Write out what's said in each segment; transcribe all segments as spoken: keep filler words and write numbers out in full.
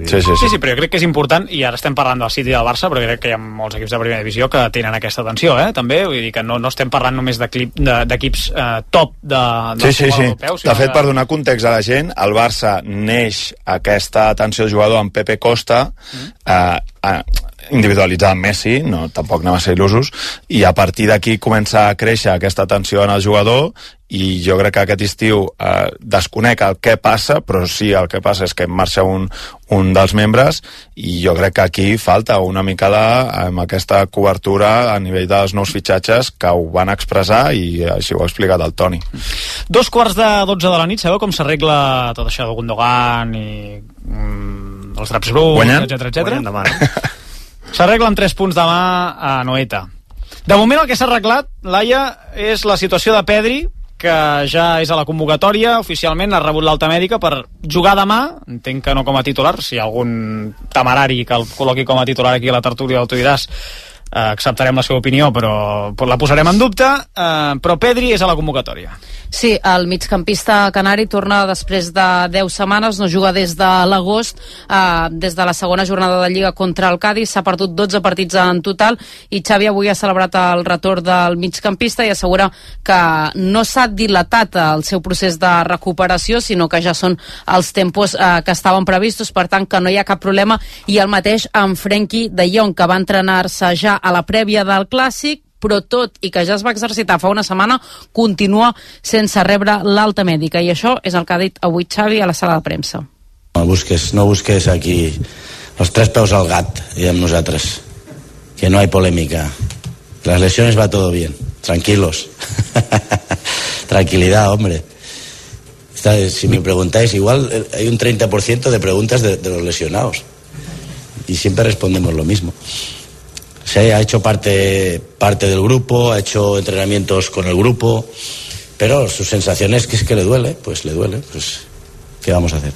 Sí, sí, sí. sí, sí, però jo crec que és important, i ara estem parlant del City i del Barça, però crec que hi ha molts equips de primera divisió que tenen aquesta tensió, eh, també, vull dir que no, no estem parlant només d'equips de, de, eh, top de, de sí, sí, sí. europeu. De fet, per donar context a la gent, el Barça neix aquesta atenció al jugador amb Pepe Costa, mm. eh, eh, individualitzar amb Messi, no, tampoc anem a ser il·lusos, i a partir d'aquí comença a créixer aquesta tensió en el jugador, i jo crec que aquest estiu eh, desconec el què passa, però sí, el que passa és que marxa un, un dels membres, i jo crec que aquí falta una mica de, amb aquesta cobertura a nivell dels nous fitxatges que ho van expressar, i així ho ha explicat el Toni. Dos quarts de dotze de la nit, sabeu com s'arregla tot això de Gundogan i mm, els draps bruts, etcètera, etcètera? S'arregla amb tres punts demà a Anoeta. De moment el que s'ha arreglat, Laia, és la situació de Pedri, que ja és a la convocatòria, oficialment ha rebut l'alta mèdica per jugar demà, entenc que no com a titular, si hi ha algun temerari que el col·loqui com a titular aquí a la tertúlia del Tu diràs, eh, acceptarem la seva opinió, però, però la posarem en dubte, eh, però Pedri és a la convocatòria. Sí, el migcampista canari torna després de deu setmanes, no juga des de l'agost, eh, des de la segona jornada de Lliga contra el Cádiz, s'ha perdut dotze partits en total, i Xavi avui ha celebrat el retorn del migcampista i assegura que no s'ha dilatat el seu procés de recuperació, sinó que ja són els tempos eh, que estaven previstos, per tant que no hi ha cap problema, i el mateix amb Frenkie de Jong, que va entrenar-se ja a la prèvia del Clàssic, però tot i que ja es va exercitar fa una setmana, continua sense rebre l'alta mèdica, i això és el que ha dit avui Xavi a la sala de premsa. No busques, no busques aquí los tres peus al gat, diem nosaltres, que no hay polémica, las lesiones va todo bien, tranquilos. Tranquilidad, hombre. Si me preguntáis, igual hay un treinta por ciento de preguntas de, de los lesionados, y siempre respondemos lo mismo. Sí, ha hecho parte, parte del grupo, ha hecho entrenamientos con el grupo, pero sus sensaciones que es que le duele, pues le duele, pues ¿qué vamos a hacer?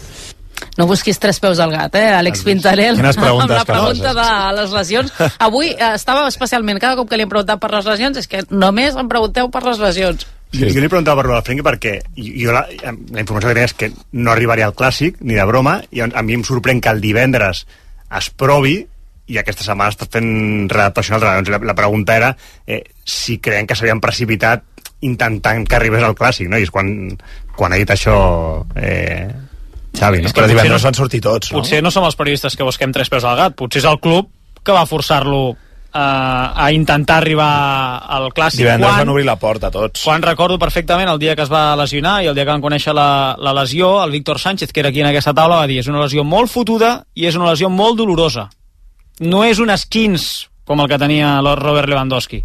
No busquis tres peus al gat, eh, Àlex Pintarel, amb la pregunta de les lesions. Avui eh, estava especialment, cada cop que li hem preguntat per les lesions, és que només em pregunteu per les lesions. Sí. Jo li preguntava per lo del Frenkie perquè jo la, la informació que tenia és que no arribaria al Clàssic, ni de broma, i a mi em sorprèn que el divendres es provi, i aquesta setmana està fent readaptació al entrenador. La, la pregunta era eh, si creien que s'havien precipitat intentant que arribés al Clàssic, no? I és quan, quan ha dit això eh, Xavi, no? Però divendres no, van sortir tots, no? Potser no som els periodistes que busquem tres peus al gat, potser és el club que va forçar-lo a, a intentar arribar al Clàssic. Divendres quan, van obrir la porta tots. Quan recordo perfectament el dia que es va lesionar i el dia que van conèixer la, la lesió, el Víctor Sánchez, que era aquí en aquesta taula, va dir: és una lesió molt fotuda i és una lesió molt dolorosa. No és un esquins com el que tenia el Robert Lewandowski.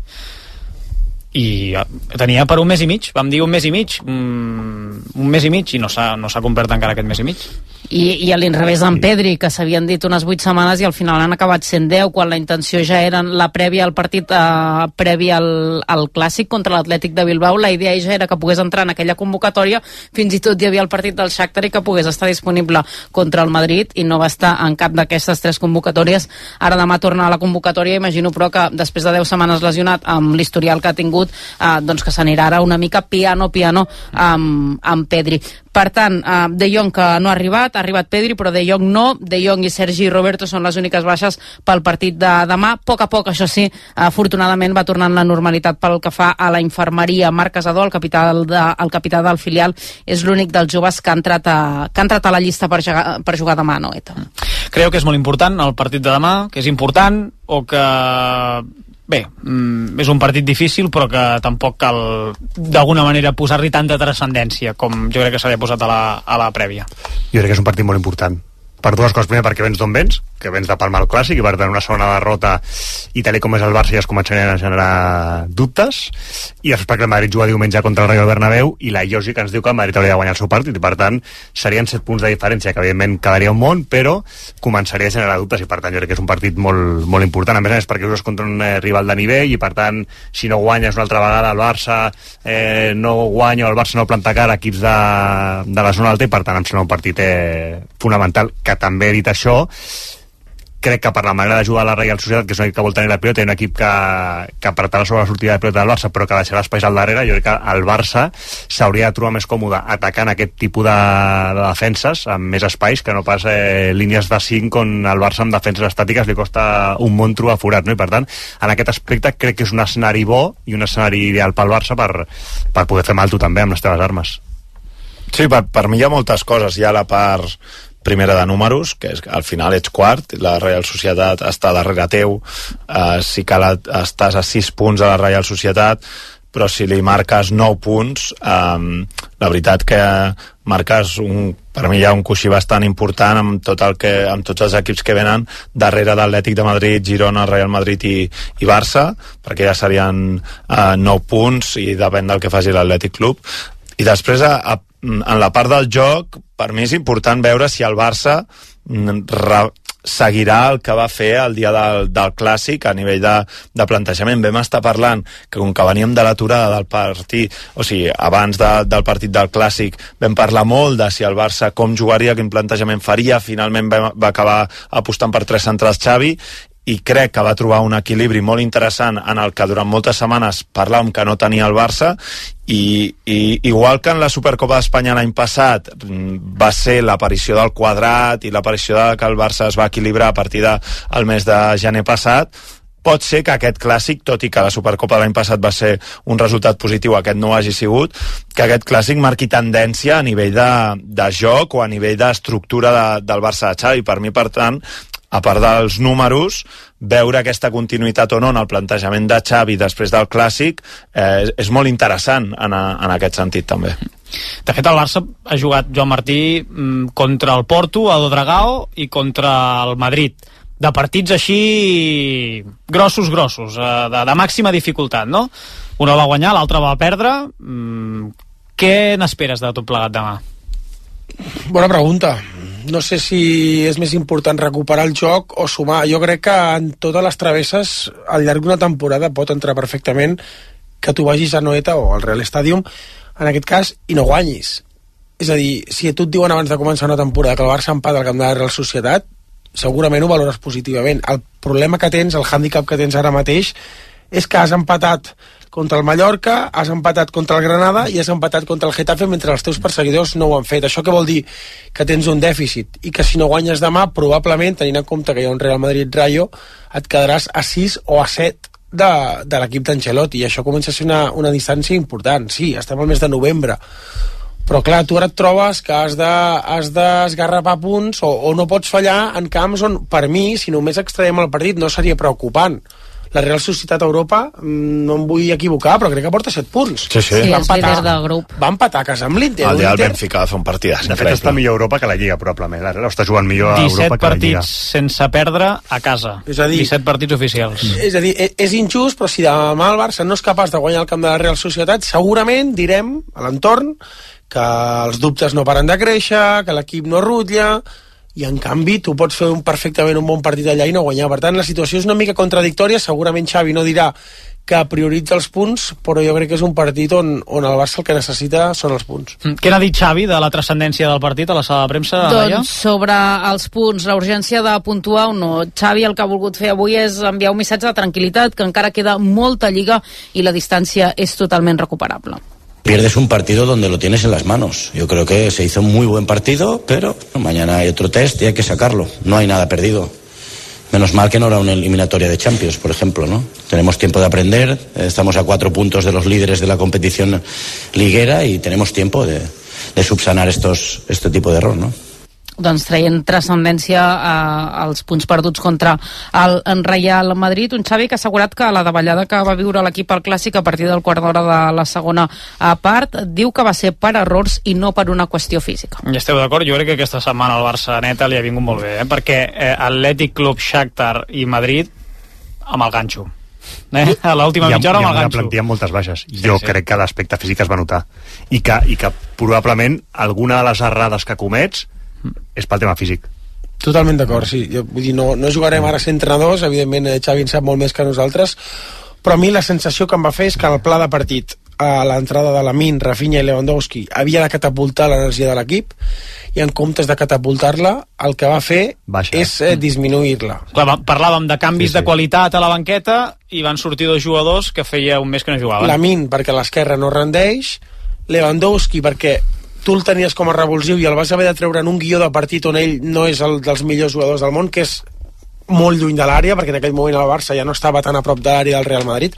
I tenia per un mes i mig, vam dir un mes i mig, mm, un mes i mig, i no s'ha no s'ha complert encara aquest mes i mig. I, i a l'inrevés amb Pedri, que s'havien dit unes vuit setmanes i al final han acabat sent deu, quan la intenció ja era la prèvia al partit, eh, prèvia al, al Clàssic contra l'Atlètic de Bilbao. La idea ja era que pogués entrar en aquella convocatòria, fins i tot hi havia el partit del Shakhtar i que pogués estar disponible contra el Madrid, i no va estar en cap d'aquestes tres convocatòries. Ara demà torna a la convocatòria, imagino però que després de deu setmanes lesionat, amb l'historial que ha tingut, eh, doncs que s'anirà ara una mica piano piano amb, amb Pedri. Per tant, eh, De Jong que no ha arribat, ha arribat Pedri, però De Jong no. De Jong i Sergi Roberto són les úniques baixes pel partit de demà. A poc a poc, això sí, afortunadament va tornant la normalitat pel que fa a la infermeria. Marc Casadó, el capità, de, el capità del filial, és l'únic dels joves que ha entrat a, que ha entrat a la llista per jugar, per jugar demà, no, Eta? Creu que és molt important el partit de demà, que és important, o que... Bé, mm, és un partit difícil, però que tampoc cal d'alguna manera posar-li tanta transcendència com jo crec que s'havia posat a la, a la prèvia. Jo crec que és un partit molt important per dues coses. Primer, perquè vens d'on vens, que vens de palmar el Clàssic, i per tant una segona derrota, i tal com és el Barça ja es començarien a generar dubtes, i després perquè el Madrid juga diumenge contra el Rayo Bernabéu, i la lògica ens diu que el Madrid hauria de guanyar el seu partit, i per tant serien set punts de diferència, que evidentment quedaria un món, però començaria a generar dubtes, i per tant jo crec que és un partit molt, molt important. A més a més, perquè jugues contra un eh, rival de nivell, i per tant, si no guanyes una altra vegada el Barça eh, no guanya, o el Barça no planta cara a equips de, de la zona alta, i per tant em sembla un partit eh, fonamental. Que també he dit això, crec que per la manera de jugar a la Reial Societat, que és un equip que vol tenir la pilota, i un equip que, que apretarà sobre la sortida de pilota del Barça, però que deixarà espais al darrere, jo crec que el Barça s'hauria de trobar més còmode atacant aquest tipus de, de defenses amb més espais, que no pas eh, línies de cinc on el Barça amb defenses estàtiques li costa un món trobar forat, no? I per tant, en aquest aspecte crec que és un escenari bo i un escenari ideal pel Barça per, per poder fer mal tu també amb les teves armes. Sí, per, per mi hi ha moltes coses. Hi ha la part primera de números, que és que al final ets quart, la Reial Societat està darrere teu, eh, sí que la, estàs a sis punts a la Reial Societat, però si li marques nou punts, eh, la veritat que marques un, per mi hi ha un coixí bastant important amb, tot el que, amb tots els equips que venen darrere d'Atlètic de Madrid, Girona, Real Madrid i, i Barça, perquè ja serien eh, nou punts i depèn del que faci l'Atlètic Club. I després a, a en la part del joc, per mi és important veure si el Barça re, seguirà el que va fer el dia del, del Clàssic a nivell de, de plantejament. Vam estar parlant que com que veníem de l'aturada del partit, o sigui, abans de, del partit del Clàssic, vam parlar molt de si el Barça com jugaria, quin plantejament faria. Finalment va, va acabar apostant per tres centrals Xavi, i crec que va trobar un equilibri molt interessant en el que durant moltes setmanes parlàvem que no tenia el Barça, i, i igual que en la Supercopa d'Espanya l'any passat va ser l'aparició del quadrat i l'aparició de que el Barça es va equilibrar a partir del mes de gener passat, pot ser que aquest Clàssic, tot i que la Supercopa de l'any passat va ser un resultat positiu, aquest no ho hagi sigut, que aquest Clàssic marqui tendència a nivell de, de joc o a nivell d'estructura de, del Barça de Xavi. Per mi, per tant, a part dels números, veure aquesta continuïtat o no en el plantejament de Xavi després del Clàssic eh, és molt interessant en, a, en aquest sentit també. De fet, el Barça ha jugat, Joan Martí, contra el Porto, a Dragao, i contra el Madrid, de partits així grossos, grossos, de, de màxima dificultat, no? Un va guanyar, l'altre va perdre. Què n'esperes de tot plegat demà? Bona pregunta. No sé si és més important recuperar el joc o sumar. Jo crec que en totes les travesses al llarg d'una temporada pot entrar perfectament que tu vagis a Noeta o al Real Stadium, en aquest cas, i no guanyis. És a dir, si a tu et diuen abans de començar una temporada que el Barça empata al camp de la Real Societat, segurament ho valores positivament. El problema que tens, el hàndicap que tens ara mateix, és que has empatat contra el Mallorca, has empatat contra el Granada i has empatat contra el Getafe mentre els teus perseguidors no ho han fet. Això què vol dir? Que tens un dèficit i que si no guanyes demà, probablement, tenint en compte que hi ha un Real Madrid-Rayo, et quedaràs a sis o a set de, de l'equip d'Ancelotti, i això comença a ser una, una distància important. Sí, estem al mes de novembre, però clar, tu ara et trobes que has de, has d'esgarrapar punts o, o no pots fallar en camps on, per mi, si només extraiem el partit, no seria preocupant. La Real Societat a Europa, no em vull equivocar, però crec que porta set punts. Sí, sí. Sí, és líder del grup. Va empatar a casa amb l'Inter. El dia del Benfica va fer un partit. De fet, està millor a Europa que la Lliga, probablement. La Real està jugant millor a Europa que la Lliga. disset partits sense perdre a casa. És a dir, disset partits oficials. És a dir, és injust, però si demà el Barça no és capaç de guanyar el camp de la Real Societat, segurament direm a l'entorn que els dubtes no paren de créixer, que l'equip no rutlla, i en canvi tu pots fer un, perfectament un bon partit allà i no guanyar. Per tant, la situació és una mica contradictòria. Segurament Xavi no dirà que prioritza els punts, però jo crec que és un partit on, on el Barça el que necessita són els punts. Què n'ha dit Xavi de la transcendència del partit a la sala de premsa? Doncs sobre els punts, la urgència de puntuar o no, Xavi el que ha volgut fer avui és enviar un missatge de tranquil·litat, que encara queda molta lliga i la distància és totalment recuperable. Pierdes un partido donde lo tienes en las manos. Yo creo que se hizo un muy buen partido, pero mañana hay otro test y hay que sacarlo. No hay nada perdido. Menos mal que no era una eliminatoria de Champions, por ejemplo, ¿no? Tenemos tiempo de aprender, estamos a cuatro puntos de los líderes de la competición liguera y tenemos tiempo de, de subsanar estos, este tipo de error, ¿no? Doncs traient transcendència eh, als punts perduts contra el Real Madrid, un Xavi que ha assegurat que la davallada que va viure l'equip al Clàssic a partir del quart d'hora de la segona part diu que va ser per errors i no per una qüestió física. I esteu d'acord? Jo crec que aquesta setmana al Barça neta li ha vingut molt bé, eh? perquè eh, Atlètic Club, Shakhtar i Madrid amb el ganxo. Eh? A l'última mitja hora amb el ganxo. Hi ha una plantilla amb moltes baixes. Sí, jo sí. crec que l'aspecte físic es va notar. I que, i que probablement alguna de les errades que comets és pel tema físic. Totalment d'acord, sí. Jo, vull dir, no, no jugarem ara a ser entrenadors, evidentment Xavi en sap molt més que nosaltres, però a mi la sensació que em va fer és que el pla de partit a l'entrada de Lamine, Rafinha i Lewandowski havia de catapultar l'energia de l'equip, i en comptes de catapultar-la, el que va fer Baixa. és eh, disminuir-la. Clar, parlàvem de canvis sí, sí. de qualitat a la banqueta i van sortir dos jugadors que feia un mes que no jugaven. Lamine, perquè l'esquerra no rendeix, Lewandowski, perquè tu el tenies com a revulsiu i el vas haver de treure en un guió de partit on ell no és el dels millors jugadors del món, que és molt lluny de l'àrea, perquè en aquell moment el Barça ja no estava tan a prop de l'àrea del Real Madrid.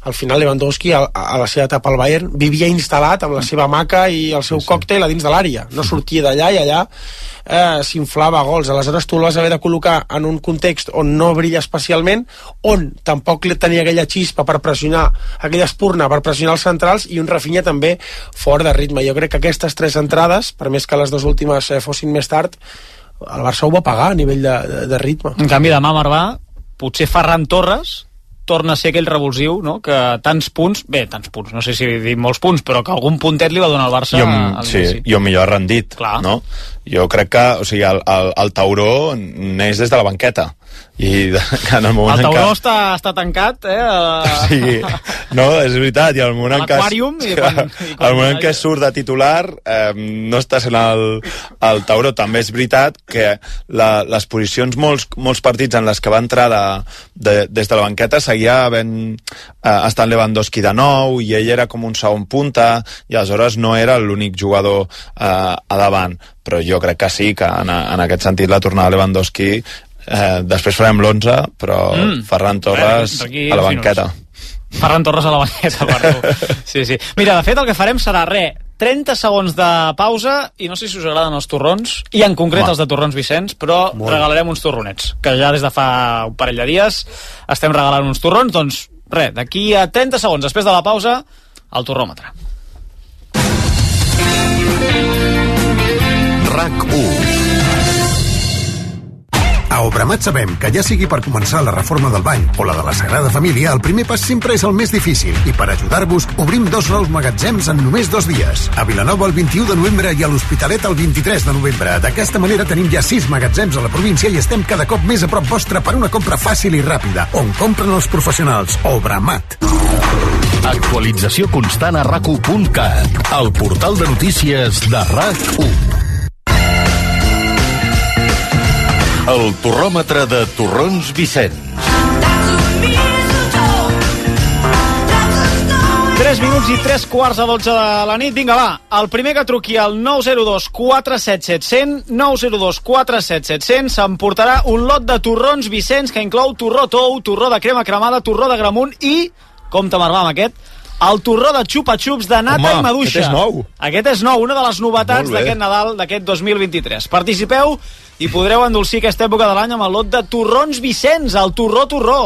Al final Lewandowski a, a la seva etapa al Bayern vivia instal·lat amb la seva maca i el seu sí, sí. còctel a dins de l'àrea, no sortia d'allà i allà eh, s'inflava gols. Aleshores tu el vas haver de col·locar en un context on no brilla especialment, on tampoc tenia aquella xispa per pressionar, aquella espurna per pressionar els centrals, i un Rafinha també fort de ritme. Jo crec que aquestes tres entrades, per més que les dues últimes eh, fossin més tard, el Barça ho va pagar a nivell de, de, de ritme. En canvi demà, Marvà, potser Ferran Torres torna a ser aquell revulsiu, no? Que tants punts, bé, tants punts, no sé si dir molts punts, però que algun puntet li va donar al Barça. I on, sí, i on millor ha rendit, Clar. no? Jo crec que, o sigui, el, el, el Tauró neix des de la banqueta. I de, que en el moment el Tauró que... està, està tancat, eh? Sí, no, és veritat, i al moment en què... L'aquàrium, i quan... I quan al moment que surt de titular, eh, no està sent el, el Tauró. També és veritat que la, les posicions, molts, molts partits en les que va entrar de, de, des de la banqueta seguia havent eh, estat Lewandowski de nou, i ell era com un segon punta, i aleshores no era l'únic jugador eh, a davant. Però jo crec que sí, que en, en aquest sentit la tornada de Lewandowski, eh, després farem l'onze, però mm. Ferran Torres Bé, a la banqueta. Ferran Torres a la banqueta, perdó. Sí, sí. Mira, de fet el que farem serà res, trenta segons de pausa, i no sé si us agraden els torrons, i en concret Home. els de Torrons Vicenç, però Molt. regalarem uns torronets, que ja des de fa un parell de dies estem regalant uns torrons. Doncs res, d'aquí a trenta segons després de la pausa, el torròmetre. RAC u. A Obramat sabem que ja sigui per començar la reforma del bany o la de la Sagrada Família, el primer pas sempre és el més difícil, i per ajudar-vos obrim dos nous magatzems en només dos dies. A Vilanova el vint-i-u de novembre i a l'Hospitalet el vint-i-tres de novembre. D'aquesta manera tenim ja sis magatzems a la província i estem cada cop més a prop vostre per una compra fàcil i ràpida, on compren els professionals. Obramat. Actualització constant a rac u punt cat, el portal de notícies de RAC u. El torròmetre de Torrons Vicenç. tres minuts i tres quarts a dotze de la nit. Vinga, va, el primer que truqui al nou zero dos quatre set set zero zero, nou zero dos quatre set set zero zero, s'emportarà un lot de torrons Vicenç que inclou torró tou, torró de crema cremada, torró de gramunt i, compte Marvà amb aquest, el torró de xupa-xups de nata Home, i maduixa. Aquest és nou. Aquest és nou, una de les novetats d'aquest Nadal, d'aquest dos mil vint-i-tres. Participeu i podreu endolcir aquesta època de l'any amb el lot de torrons Vicenç, el torró torró.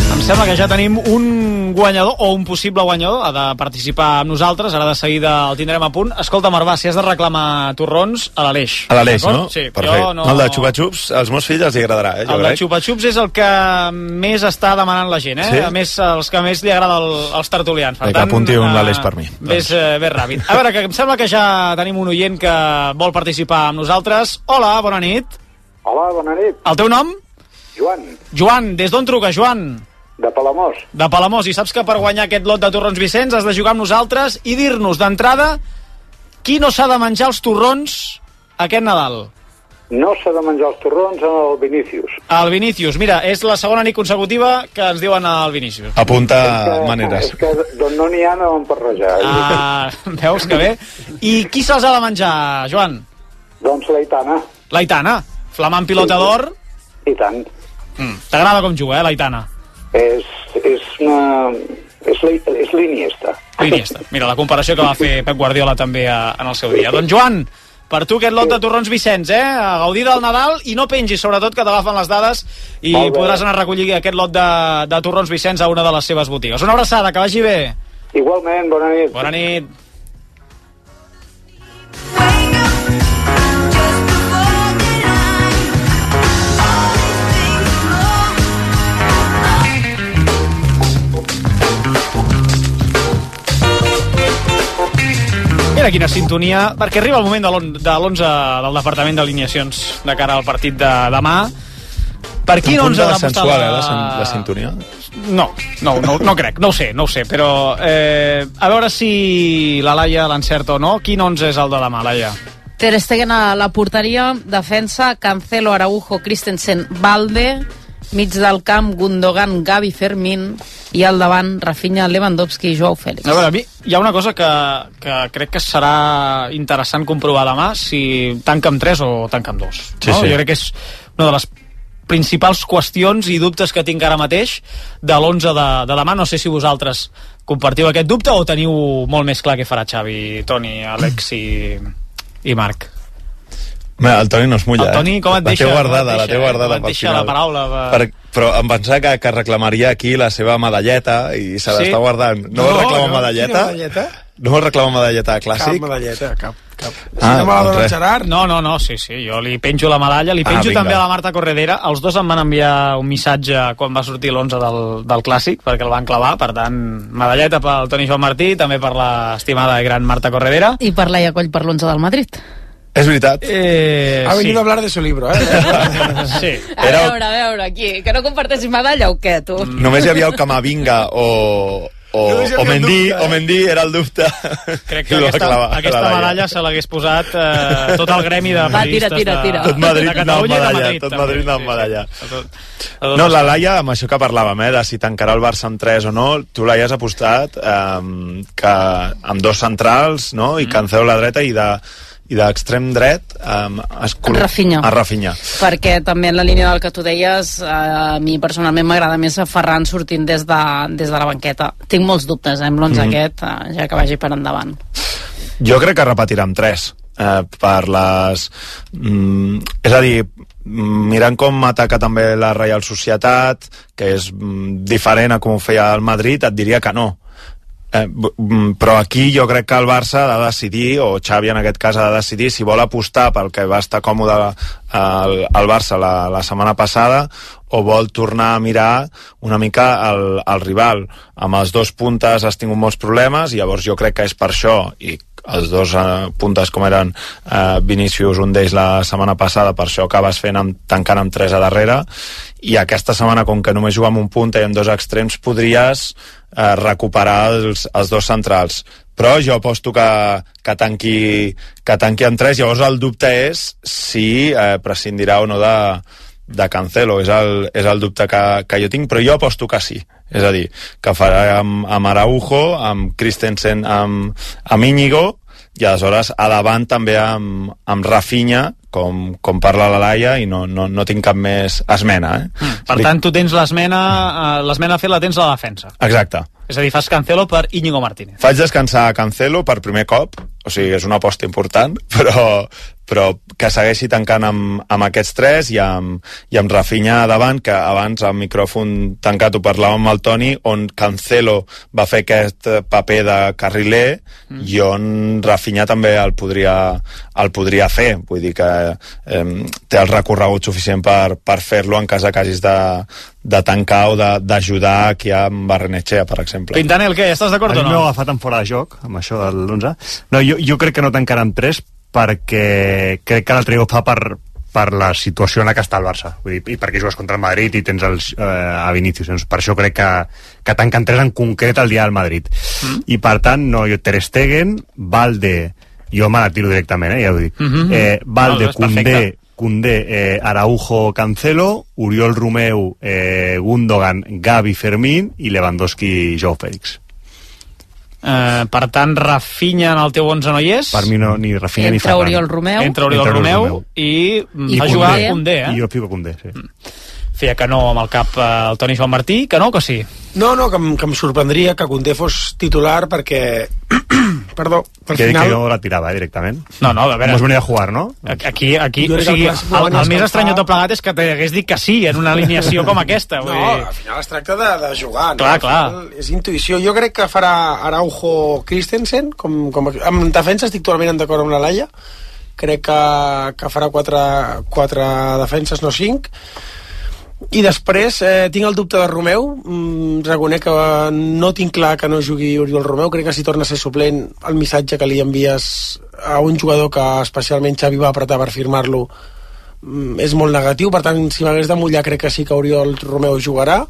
Em sembla que ja tenim un guanyador, o un possible guanyador, ha de participar amb nosaltres, ara de seguida el tindrem a punt. Escolta, Marvà, si has de reclamar torrons, a l'Aleix. A l'Aleix, no? Sí, perfecte. No... El de xupa-xups, als meus fills els hi agradarà, eh? El de xupa-xups és el que més està demanant la gent, eh? Sí? A més, els que més li agrada el, als tertulians. Per tant, que apunti un l'Aleix per mi. Ves, eh, ves ràpid. A veure, que em sembla que ja tenim un oient que vol participar amb nosaltres. Hola, bona nit. Hola, bona nit. El teu nom? Joan. Joan, des d'on truca, Joan? De Palamós. De Palamós, i saps que per guanyar aquest lot de torrons Vicenç has de jugar amb nosaltres i dir-nos d'entrada qui no s'ha de menjar els torrons aquest Nadal. No s'ha de menjar els torrons al Vinícius. Al Vinícius, mira, és la segona nit consecutiva que ens diuen al Vinícius. Apunta que, maneres. És que d'on no n'hi ha no en parrejar. Ah, veus que bé. I qui se'ls ha de menjar, Joan? Doncs l'Aitana. L'Aitana, flamant pilota d'or. I tant. Mm, t'agrada com juga, eh, l'Aitana? És, és una... És, és l'Iniesta. L'Iniesta. Mira, la comparació que va fer Pep Guardiola també a, en el seu dia. Doncs Joan, per tu aquest lot de torrons Vicenç, eh? A gaudir del Nadal i no pengis, sobretot, que t'agafen les dades i podràs anar a recollir aquest lot de, de torrons Vicenç a una de les seves botigues. Una abraçada, que vagi bé. Igualment, bona nit. Bona nit. Mira, veure quina sintonia, perquè arriba el moment de l'onze del Departament d'Alineacions de cara al partit de demà. Per quin onze ha d'apostar la... Eh, la, la sintonia? No, no, no, no crec, no ho sé, no ho sé, però eh, a veure si la Laia l'encerta o no. Quin onze és el de demà, Laia? Ter Stegen a la porteria, defensa, Cancelo, Araujo, Christensen, Valde, mig del camp, Gundogan, Gavi, Fermín, i al davant Rafinha, Lewandowski i Joao Félix. A veure, a mi hi ha una cosa que, que crec que serà interessant comprovar demà, si tanca amb tres o tanca amb dos. Sí, no? sí. Jo crec que és una de les principals qüestions i dubtes que tinc ara mateix de l'onze de, de demà. No sé si vosaltres compartiu aquest dubte o teniu molt més clar què farà Xavi, Toni, Àlex i, i Marc. Bé, el Toni no es mulla, el Toni, com et la deixa, té guardada, deixa, la té guardada com et deixa la paraula per... Per, però em pensava que, que reclamaria aquí la seva medalleta i se l'està sí? guardant. No, no vol reclamar no, medalleta? medalleta? No vol reclamar medalleta clàssic? Cap medalleta, cap. cap. Si ah, no me la dona el Gerard? No, no, no, sí, sí, jo li penjo la medalla, li penjo ah, també a la Marta Corredera. Els dos em van enviar un missatge quan va sortir l'onze del, del clàssic, perquè el van clavar, per tant, medalleta pel Toni Joan Martí, també per l'estimada i gran Marta Corredera. I per Laia Coll per l'onze del Madrid. És veritat. Eh, ha venido sí. a hablar de su libro, eh? sí. A Era... veure, a veure, aquí, que no comparteixis medalla o què, tu? Només hi havia el Camavinga o... O, o, Mendy, o Mendy era el dubte. Crec que aquesta, clavar, aquesta medalla se l'hagués posat eh, tot el gremi de periodistes. Va, tira, tira, tira. Tot Madrid de Catalunya medalla, i de Madrid. Tot Madrid sí, medalla. Sí, tot, tot no, la Laia, amb això que parlàvem, eh, de si tancarà el Barça amb tres o no, tu l'haies apostat eh, que amb dos centrals, no? I Cancelo a la dreta i de i d'extrem dret um, escol... Rafinha. a Rafinha. Perquè també en la línia del que tu deies, a mi personalment m'agrada més a Ferran sortint des de, des de la banqueta. Tinc molts dubtes eh, amb l'onze mm-hmm. aquest, ja que vagi per endavant. Jo crec que repetirà amb tres. Eh, per les... Mm, és a dir, mirant com ataca també la Reial Societat, que és mm, diferent a com ho feia el Madrid, et diria que no. Eh, però aquí jo crec que el Barça ha de decidir, o Xavi en aquest cas ha de decidir si vol apostar pel que va estar còmode al, al Barça la, la setmana passada o vol tornar a mirar una mica el, el rival. Amb els dos puntes has tingut molts problemes, i llavors jo crec que és per això, i els dos eh, puntes com eren eh, Vinícius, un d'ells la setmana passada, per això acabes fent amb, tancant amb tres a darrere, i aquesta setmana, com que només juga amb un punt i amb dos extrems, podries eh, recuperar els, els dos centrals. Però jo aposto que, que, tanqui, que tanqui amb tres. Llavors el dubte és si eh, prescindirà o no de, de Cancelo. És el, és el dubte que, que jo tinc, però jo aposto que sí. És a dir, que farà amb, amb Araujo, amb Christensen, amb, amb Íñigo, i aleshores a davant també amb, amb Rafinha, com, com parla la Laia, i no, no, no tinc cap més esmena. Eh? Mm. Per tant, tu tens l'esmena, eh, l'esmena a fer la tens a la defensa. Exacte. És a dir, fas Cancelo per Íñigo Martínez. Faig descansar a Cancelo per primer cop, o sigui, és una aposta important, però, però que segueixi tancant amb, amb aquests tres i amb, i amb Rafinha davant, que abans al micròfon tancat ho parlàvem amb el Toni, on Cancelo va fer aquest paper de carriler mm. i on Rafinha també el podria, el podria fer. Vull dir que eh, té el recorregut suficient per, per fer-lo en cas que hagis de, de tancar o d'ajudar aquí amb Barrenetxea, per exemple. Pintanel, què? Estàs d'acord o no? A mi m'ho ha agafat en fora de joc, amb això de l'onze. No, jo, jo crec que no tancarà amb tres, perquè crec que l'altre dia ho fa per, per la situació en la que està el Barça. Vull dir, i perquè jugues contra el Madrid i tens els, eh, a Vinícius. Doncs per això crec que, que tanquen tres en concret el dia del Madrid. Mm. I per tant, no, jo Ter Stegen, Valde, jo me la tiro directament, eh, ja ho dic. Mm-hmm. eh, Valde, no, Koundé, Koundé, eh, Araujo, Cancelo, Oriol Romeu, eh, Gundogan, Gavi, Fermín i Lewandowski, Joao Félix. Uh, per tant, Rafinha en el teu onze no hi és. Per mi no, ni Rafinha Entra ni Ferran. Oriol Romeu. Entra Oriol Entra Romeu, Romeu i, I ha jugat Koundé, eh? I jo fico Koundé, sí. Feia que no amb el cap eh, el Toni Joan Martí, que no, que sí? No, no, que, em, que em sorprendria que Koundé fos titular perquè... Perdó, per que, final... Que jo la tirava, eh, directament. No, no, a veure... Com es venia a jugar, no? Aquí, aquí, o sigui, el, el, el més estrany de tot plegat és que t'hagués dit que sí en una alineació com aquesta. Vull no, dir... al final es tracta de, de jugar. Clar, no? clar. És intuïció. Jo crec que farà Araujo Christensen, com, com, en defensa estic totalment d'acord amb la Laia. Crec que, que farà quatre, quatre defenses, no cinc. I després eh, tinc el dubte de Romeu, mm, reconec que no tinc clar que no jugui Oriol Romeu, crec que si torna a ser suplent el missatge que li envies a un jugador que especialment Xavi va apretar per firmar-lo mm, és molt negatiu, per tant si m'hagués de mullar crec que sí que Oriol Romeu jugarà.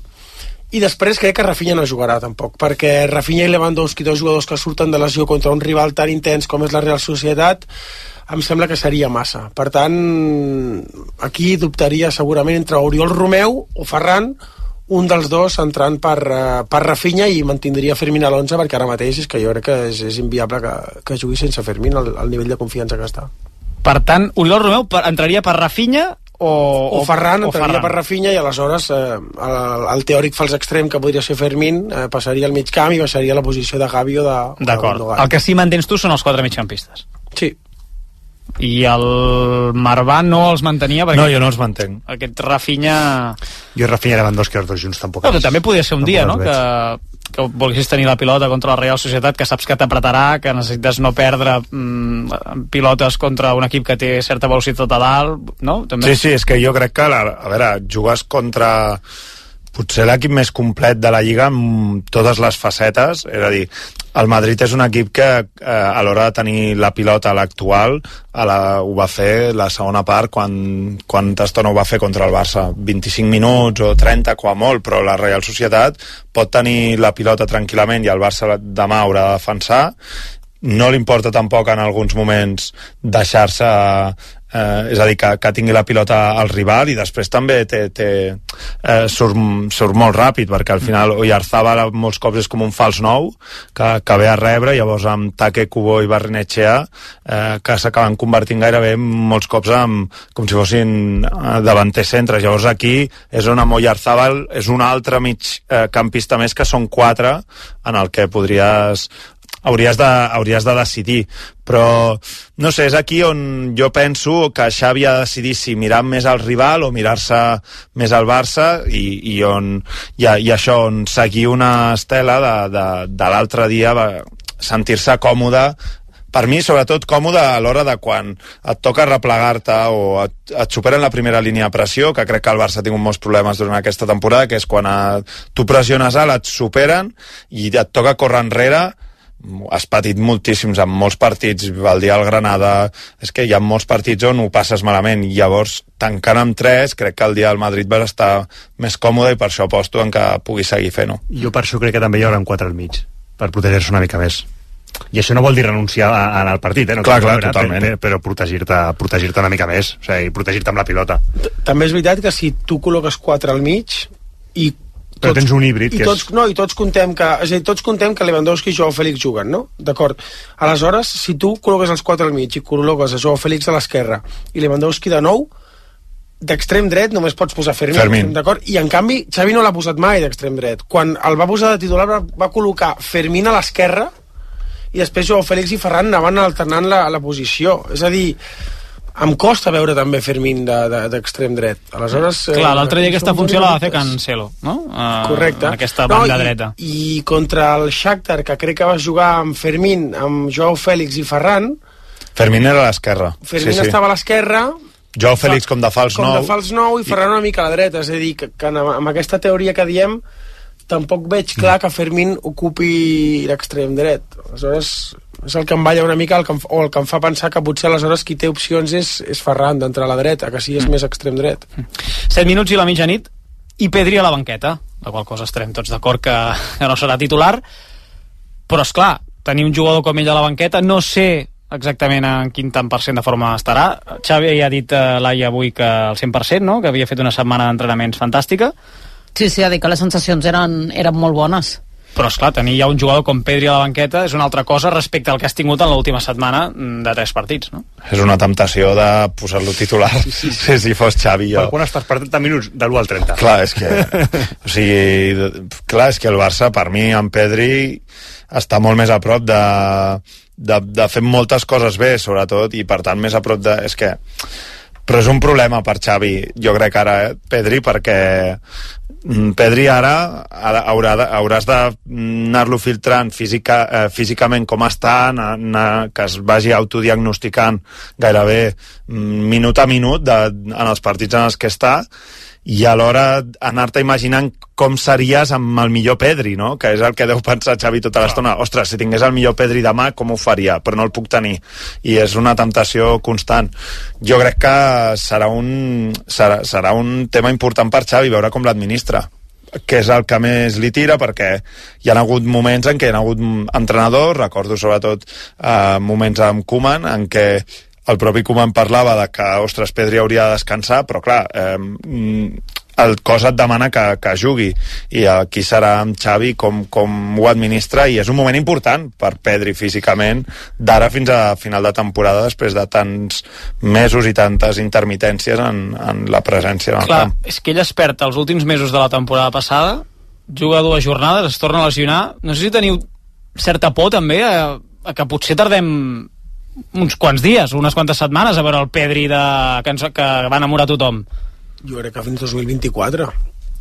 I després crec que Rafinha no jugarà tampoc, perquè Rafinha i Lewandowski, dos jugadors que surten de lesió contra un rival tan intens com és la Real Societat, em sembla que seria massa. Per tant, aquí dubtaria segurament entre Oriol Romeu o Ferran, un dels dos entrant per, uh, per Rafinha, i mantindria Fermín a l'onze, perquè ara mateix és que jo crec que és, és inviable que, que jugui sense Fermín al, al nivell de confiança que està. Per tant, Oriol Romeu per, entraria per Rafinha o, o Ferran, o entraria Ferran. per Rafinha, i aleshores eh, el, el teòric fals extrem que podria ser Fermín eh, passaria al mig camp i baixaria la posició de Gavi o de, D'acord. de El que sí mantens tu són els quatre migcampistes. Sí. I el Marvà no els mantenia perquè... No, jo no els mantenc. Aquest Rafinha... Jo Rafinha i Lewandowski els dos junts tampoc. No, però també podria ser un dia, no?, que, que volguessis tenir la pilota contra la Real Societat, que saps que t'apretarà, que necessites no perdre mm, pilotes contra un equip que té certa velocitat a dalt, no? També... Sí, sí, és que jo crec que, la, a veure, jugues contra potser l'equip més complet de la Lliga amb totes les facetes, és a dir, el Madrid és un equip que eh, a l'hora de tenir la pilota a l'actual a la, ho va fer la segona part quan, quan estona ho va fer contra el Barça, vint-i-cinc minuts o trenta com a molt, però la Real Societat pot tenir la pilota tranquil·lament i el Barça demà haurà de defensar. No li importa tampoc en alguns moments deixar-se eh, és a dir, que, que tingui la pilota al rival, i després també té, té, eh, surt, surt molt ràpid, perquè al final Oyarzabal molts cops és com un fals nou que, que ve a rebre, llavors amb Take, Kubo i Barrenetxea eh, que s'acaben convertint gairebé molts cops amb, com si fossin eh, davanters centres. Llavors aquí és on amb Oyarzabal és un altre mig eh, campista més, que són quatre en el que podries hauries de, hauries de decidir, però no sé, és aquí on jo penso que Xavi ha de decidir si mirar més al rival o mirar-se més al Barça, i, i on i, i això, on seguir una estela de, de, de l'altre dia, sentir-se còmode, per mi sobretot còmode a l'hora de quan et toca replegar-te o et, et superen la primera línia de pressió, que crec que el Barça ha tingut molts problemes durant aquesta temporada, que és quan et, tu pressiones alt, et superen i et toca córrer enrere. Has patit moltíssims en molts partits, el dia del Granada, és que hi ha molts partits on ho passes malament, i llavors tancant amb tres, crec que el dia del Madrid vas estar més còmode, i per això aposto en que pugui seguir fent-ho. Jo per això crec que també hi haurà quatre al mig, per protegir-se una mica més. I això no vol dir renunciar al partit, eh? No, clar, clar, veure, totalment. Però, però protegir-te protegir-te una mica més, o sigui, protegir-te amb la pilota. També és veritat que si tu col·loques quatre al mig i però tots, tens un híbrid i que tots, és... no, i tots contem que, és a dir, tots contem que Lewandowski i Joao Félix juguen, no? D'acord. Aleshores, si tu col·loques els quatre al mig i col·loques a Joao Félix a l'esquerra i Lewandowski de nou, d'extrem dret només pots posar Fermín, Fermín. d'acord? I en canvi Xavi no l'ha posat mai d'extrem dret. Quan el va posar de titular va, va col·locar Fermín a l'esquerra i després Joao Félix i Ferran anaven alternant la, la posició. És a dir, em costa veure també Fermín d'extrem de, dret. Aleshores... Clar, l'altre dia aquesta funció la va fer Cancelo, no? Uh, Correcte. Aquesta banda no, i, dreta. I contra el Shakhtar, que crec que va jugar amb Fermín, amb Joao Félix i Ferran... Fermín era a l'esquerra. Fermín sí, sí. estava a l'esquerra... Joao Félix com de fals com nou. Com de fals nou i Ferran una mica a la dreta. És a dir, que, que amb aquesta teoria que diem tampoc veig clar que Fermín ocupi l'extrem dret. Aleshores... és el que em balla una mica, el que em, o el que em fa pensar que potser aleshores qui té opcions és, és Ferran d'entrar a la dreta, que sí és mm. més extrem dret. set minuts i la mitjanit i Pedri a la banqueta, la qual cosa estarem tots d'acord que, que no serà titular, però és clar, tenir un jugador com ell a la banqueta, no sé exactament en quin tant per cent de forma estarà. Xavi ja ha dit a l'Ai avui que al cent per cent, no? Que havia fet una setmana d'entrenaments fantàstica. Sí, sí, ha dit que les sensacions eren, eren molt bones. Però esclar, tenir ja un jugador com Pedri a la banqueta és una altra cosa respecte al que has tingut en l'última setmana de tres partits, no? És una temptació de posar-lo titular sí, sí, sí. si fos Xavi jo. Per quan estàs per trenta minuts de l'u al trenta? Clar, és que o sigui, clar, és que el Barça per mi amb Pedri està molt més a prop de, de, de fer moltes coses bé, sobretot, i per tant més a prop de... És que... Però és un problema per Xavi, jo crec ara, eh, Pedri, perquè Pedri ara haurà de, hauràs d'anar-lo filtrant física, eh, físicament com està, anar, anar, que es vagi autodiagnosticant gairebé minut a minut de, en els partits en els que està, i alhora anar-te imaginant com series amb el millor Pedri, no? Que és el que deu pensar Xavi tota l'estona. Ostres, si tingués el millor Pedri demà, com ho faria? Però no el puc tenir. I és una temptació constant. Jo crec que serà un, serà, serà un tema important per Xavi, veure com l'administra, que és el que més li tira, perquè hi ha hagut moments en què hi ha hagut entrenadors, recordo sobretot eh, moments amb Koeman, en què el propi Koeman parlava de que, ostres, Pedri hauria de descansar, però clar, eh, el cos et demana que, que jugui, i aquí serà amb Xavi com, com ho administra, i és un moment important per Pedri físicament, d'ara fins a final de temporada, després de tants mesos i tantes intermitències en, en la presència en el Clar, camp. És que ell es perd els últims mesos de la temporada passada, juga dues jornades, es torna a lesionar. No sé si teniu certa por també a, a que potser tardem uns quants dies, unes quantes setmanes a veure el Pedri de... que, ens... que va enamorar tothom. Jo crec que fins dos mil vint-i-quatre,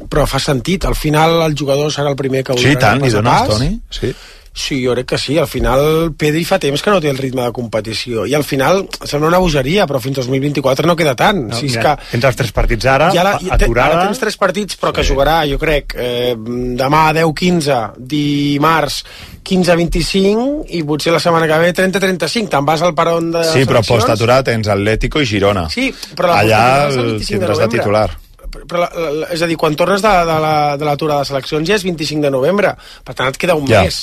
però fa sentit, al final el jugador serà el primer que sí, tant, li dones, Toni? Sí. Sí, jo crec que sí, al final Pedri fa temps que no té el ritme de competició, i al final sembla una bogeria, però fins dos mil vint-i-quatre no queda tant. No, si és mira, que tens els tres partits ara, ja la, aturada... Ara tens tres partits, però que sí. Jugarà, jo crec, eh, demà deu quinze, dimarts quinze vint-i-cinc, i potser la setmana que ve trenta trenta-cinc, te'n vas al peron de sí, però post-aturada tens Atlético i Girona. Sí, però la allà el tindràs de titular. Però la, la, és a dir, quan tornes de, de la de l'aturada de seleccions ja és vint-i-cinc de novembre, per tant et queda un ja. mes,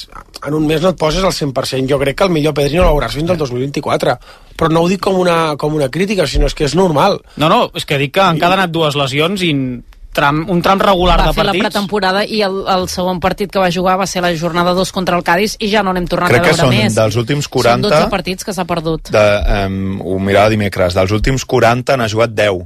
en un mes no et poses al cent per cent. Jo crec que el millor Pedri no l'hauràs fins al dos mil vint-i-quatre, però no ho dic com una, com una crítica, sinó és que és normal. No, no, és que dic que han quedat dues lesions i tram, un tram regular va de partits. Va fer la pretemporada i el, el segon partit que va jugar va ser la jornada dos contra el Cádiz i ja no n'hem tornat crec a veure més. Crec que són dels últims quaranta... Són dotze partits que s'ha perdut. De, um, ho mirava dimecres, dels últims quaranta n'ha jugat deu.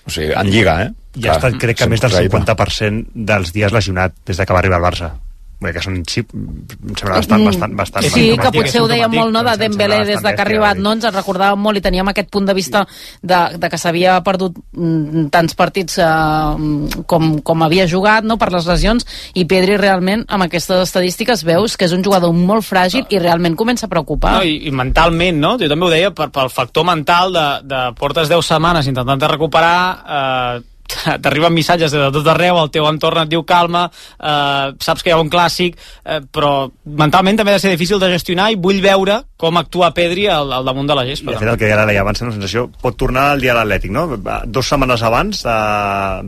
O sigui, en Lliga, eh? I ha estat, crec que, més del cinquanta per cent dels dies lesionat des que va arribar al Barça. Bé, que són xip, em sembla bastant, bastant, bastant sí, bastant, que potser ho deia molt, no?, de Dembélé des de que ha arribat, no? Ens en recordàvem molt i teníem aquest punt de vista de, de que s'havia perdut mm, tants partits eh, com, com havia jugat, no?, per les lesions, i Pedri realment amb aquestes estadístiques veus que és un jugador molt fràgil i realment comença a preocupar. No, i, i mentalment, no? Jo també ho deia, per, pel factor mental de, de portes deu setmanes intentant recuperar, eh, t'arriben missatges de tot arreu, el teu entorn et diu calma, eh, saps que hi ha un clàssic, eh, però mentalment també ha de ser difícil de gestionar, i vull veure com actua Pedri al, al damunt de la gespa. I de fet el que ja deia abans, la sensació pot tornar el dia de l'Atlètic, no? Dos setmanes abans de,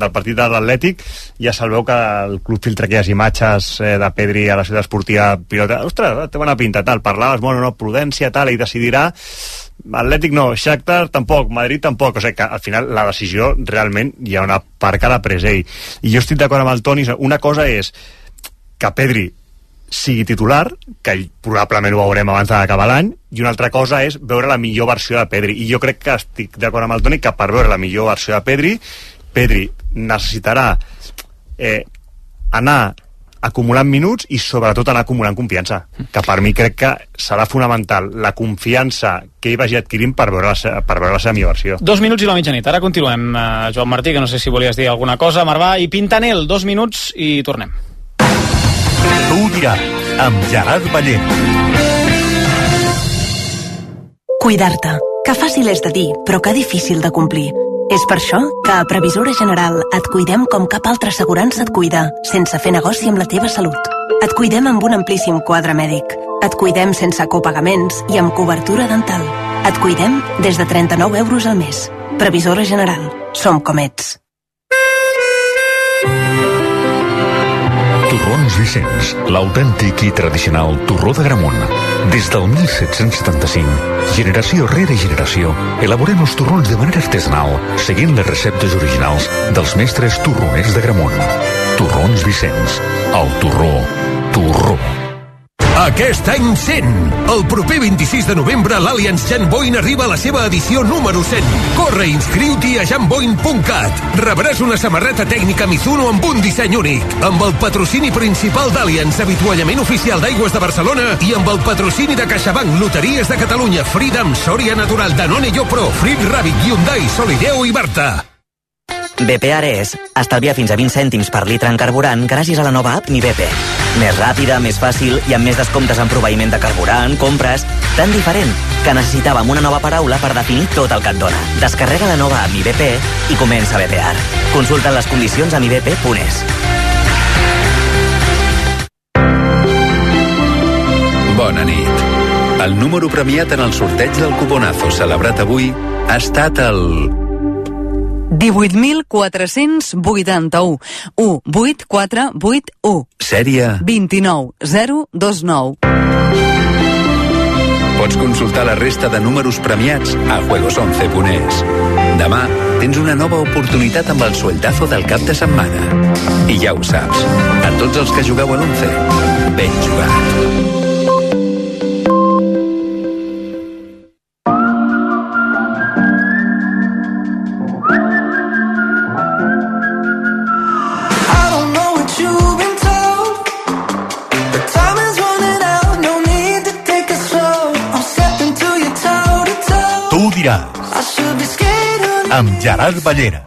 del partit de l'Atlètic ja se'l veu que el club filtra aquelles imatges eh, de Pedri a la ciutat esportiva pilota, ostres, té bona pinta, tal, parlaves, bueno, no, prudència, tal, i decidirà. Atlètic no, Shakhtar tampoc, Madrid tampoc, o sigui que al final la decisió realment hi ha una part que l'ha pres ell. I jo estic d'acord amb el Toni, una cosa és que Pedri sigui titular, que probablement ho veurem abans d'acabar l'any, i una altra cosa és veure la millor versió de Pedri, i jo crec que estic d'acord amb el Toni que per veure la millor versió de Pedri, Pedri necessitarà eh, anar acumulant minuts i sobretot anar acumulant confiança, que per mi crec que serà fonamental la confiança que ell vagi adquirint per veure la, per veure la seva millor versió. Dos minuts i la mitjanit, ara continuem, eh, Joan Martí, que no sé si volies dir alguna cosa, Marvà i Pintanel, dos minuts i tornem. Tu ho diràs, amb Gerard Ballent. Cuidar-te, que fàcil és de dir, però que difícil de complir. És per això que a Previsora General et cuidem com cap altra assegurança et cuida, sense fer negoci amb la teva salut. Et cuidem amb un amplíssim quadre mèdic. Et cuidem sense copagaments i amb cobertura dental. Et cuidem des de trenta-nou euros al mes. Previsora General. Som com ets. Torrons Vicenç, l'autèntic i tradicional torró d'Agramunt. Des del mil set-cents setanta-cinc, generació rere generació, elaborem els torrons de manera artesanal, seguint les receptes originals dels mestres torroners d'Agramunt. Torrons Vicenç, el torró, torró. Aquest any cent! El proper vint-i-sis de novembre l'Allianz Janboin arriba a la seva edició número cent. Corre i inscriu-t'hi a janboin punt cat. Rebràs una samarreta tècnica Mizuno amb un disseny únic, amb el patrocini principal d'Allianz, avituallament oficial d'Aigües de Barcelona, i amb el patrocini de CaixaBank, Loteries de Catalunya, Freedom, Soria Natural, Danone Yopro, Frit Rabbit, Hyundai, Solideo i Barta. B P Ares. Estalvia fins a vint cèntims per litre en carburant gràcies a la nova app Mi B P. Més ràpida, més fàcil i amb més descomptes en proveïment de carburant, compres... Tan diferent que necessitàvem una nova paraula per definir tot el que et dona. Descarrega la nova app Mi B P i comença a bepear. Consulta les condicions a mi b p punt es. Bona nit. El número premiat en el sorteig del cuponazo celebrat avui ha estat el... divuit mil quatre-cents vuitanta-u. u vuit quatre vuit u. Sèrie... vint-i-nou zero dos nou. Pots consultar la resta de números premiats a juegos once punt es. Demà tens una nova oportunitat amb el sueldazo del cap de setmana. I ja ho saps, a tots els que jugueu a l'once, ben jugat. Amb Gerard Ballera.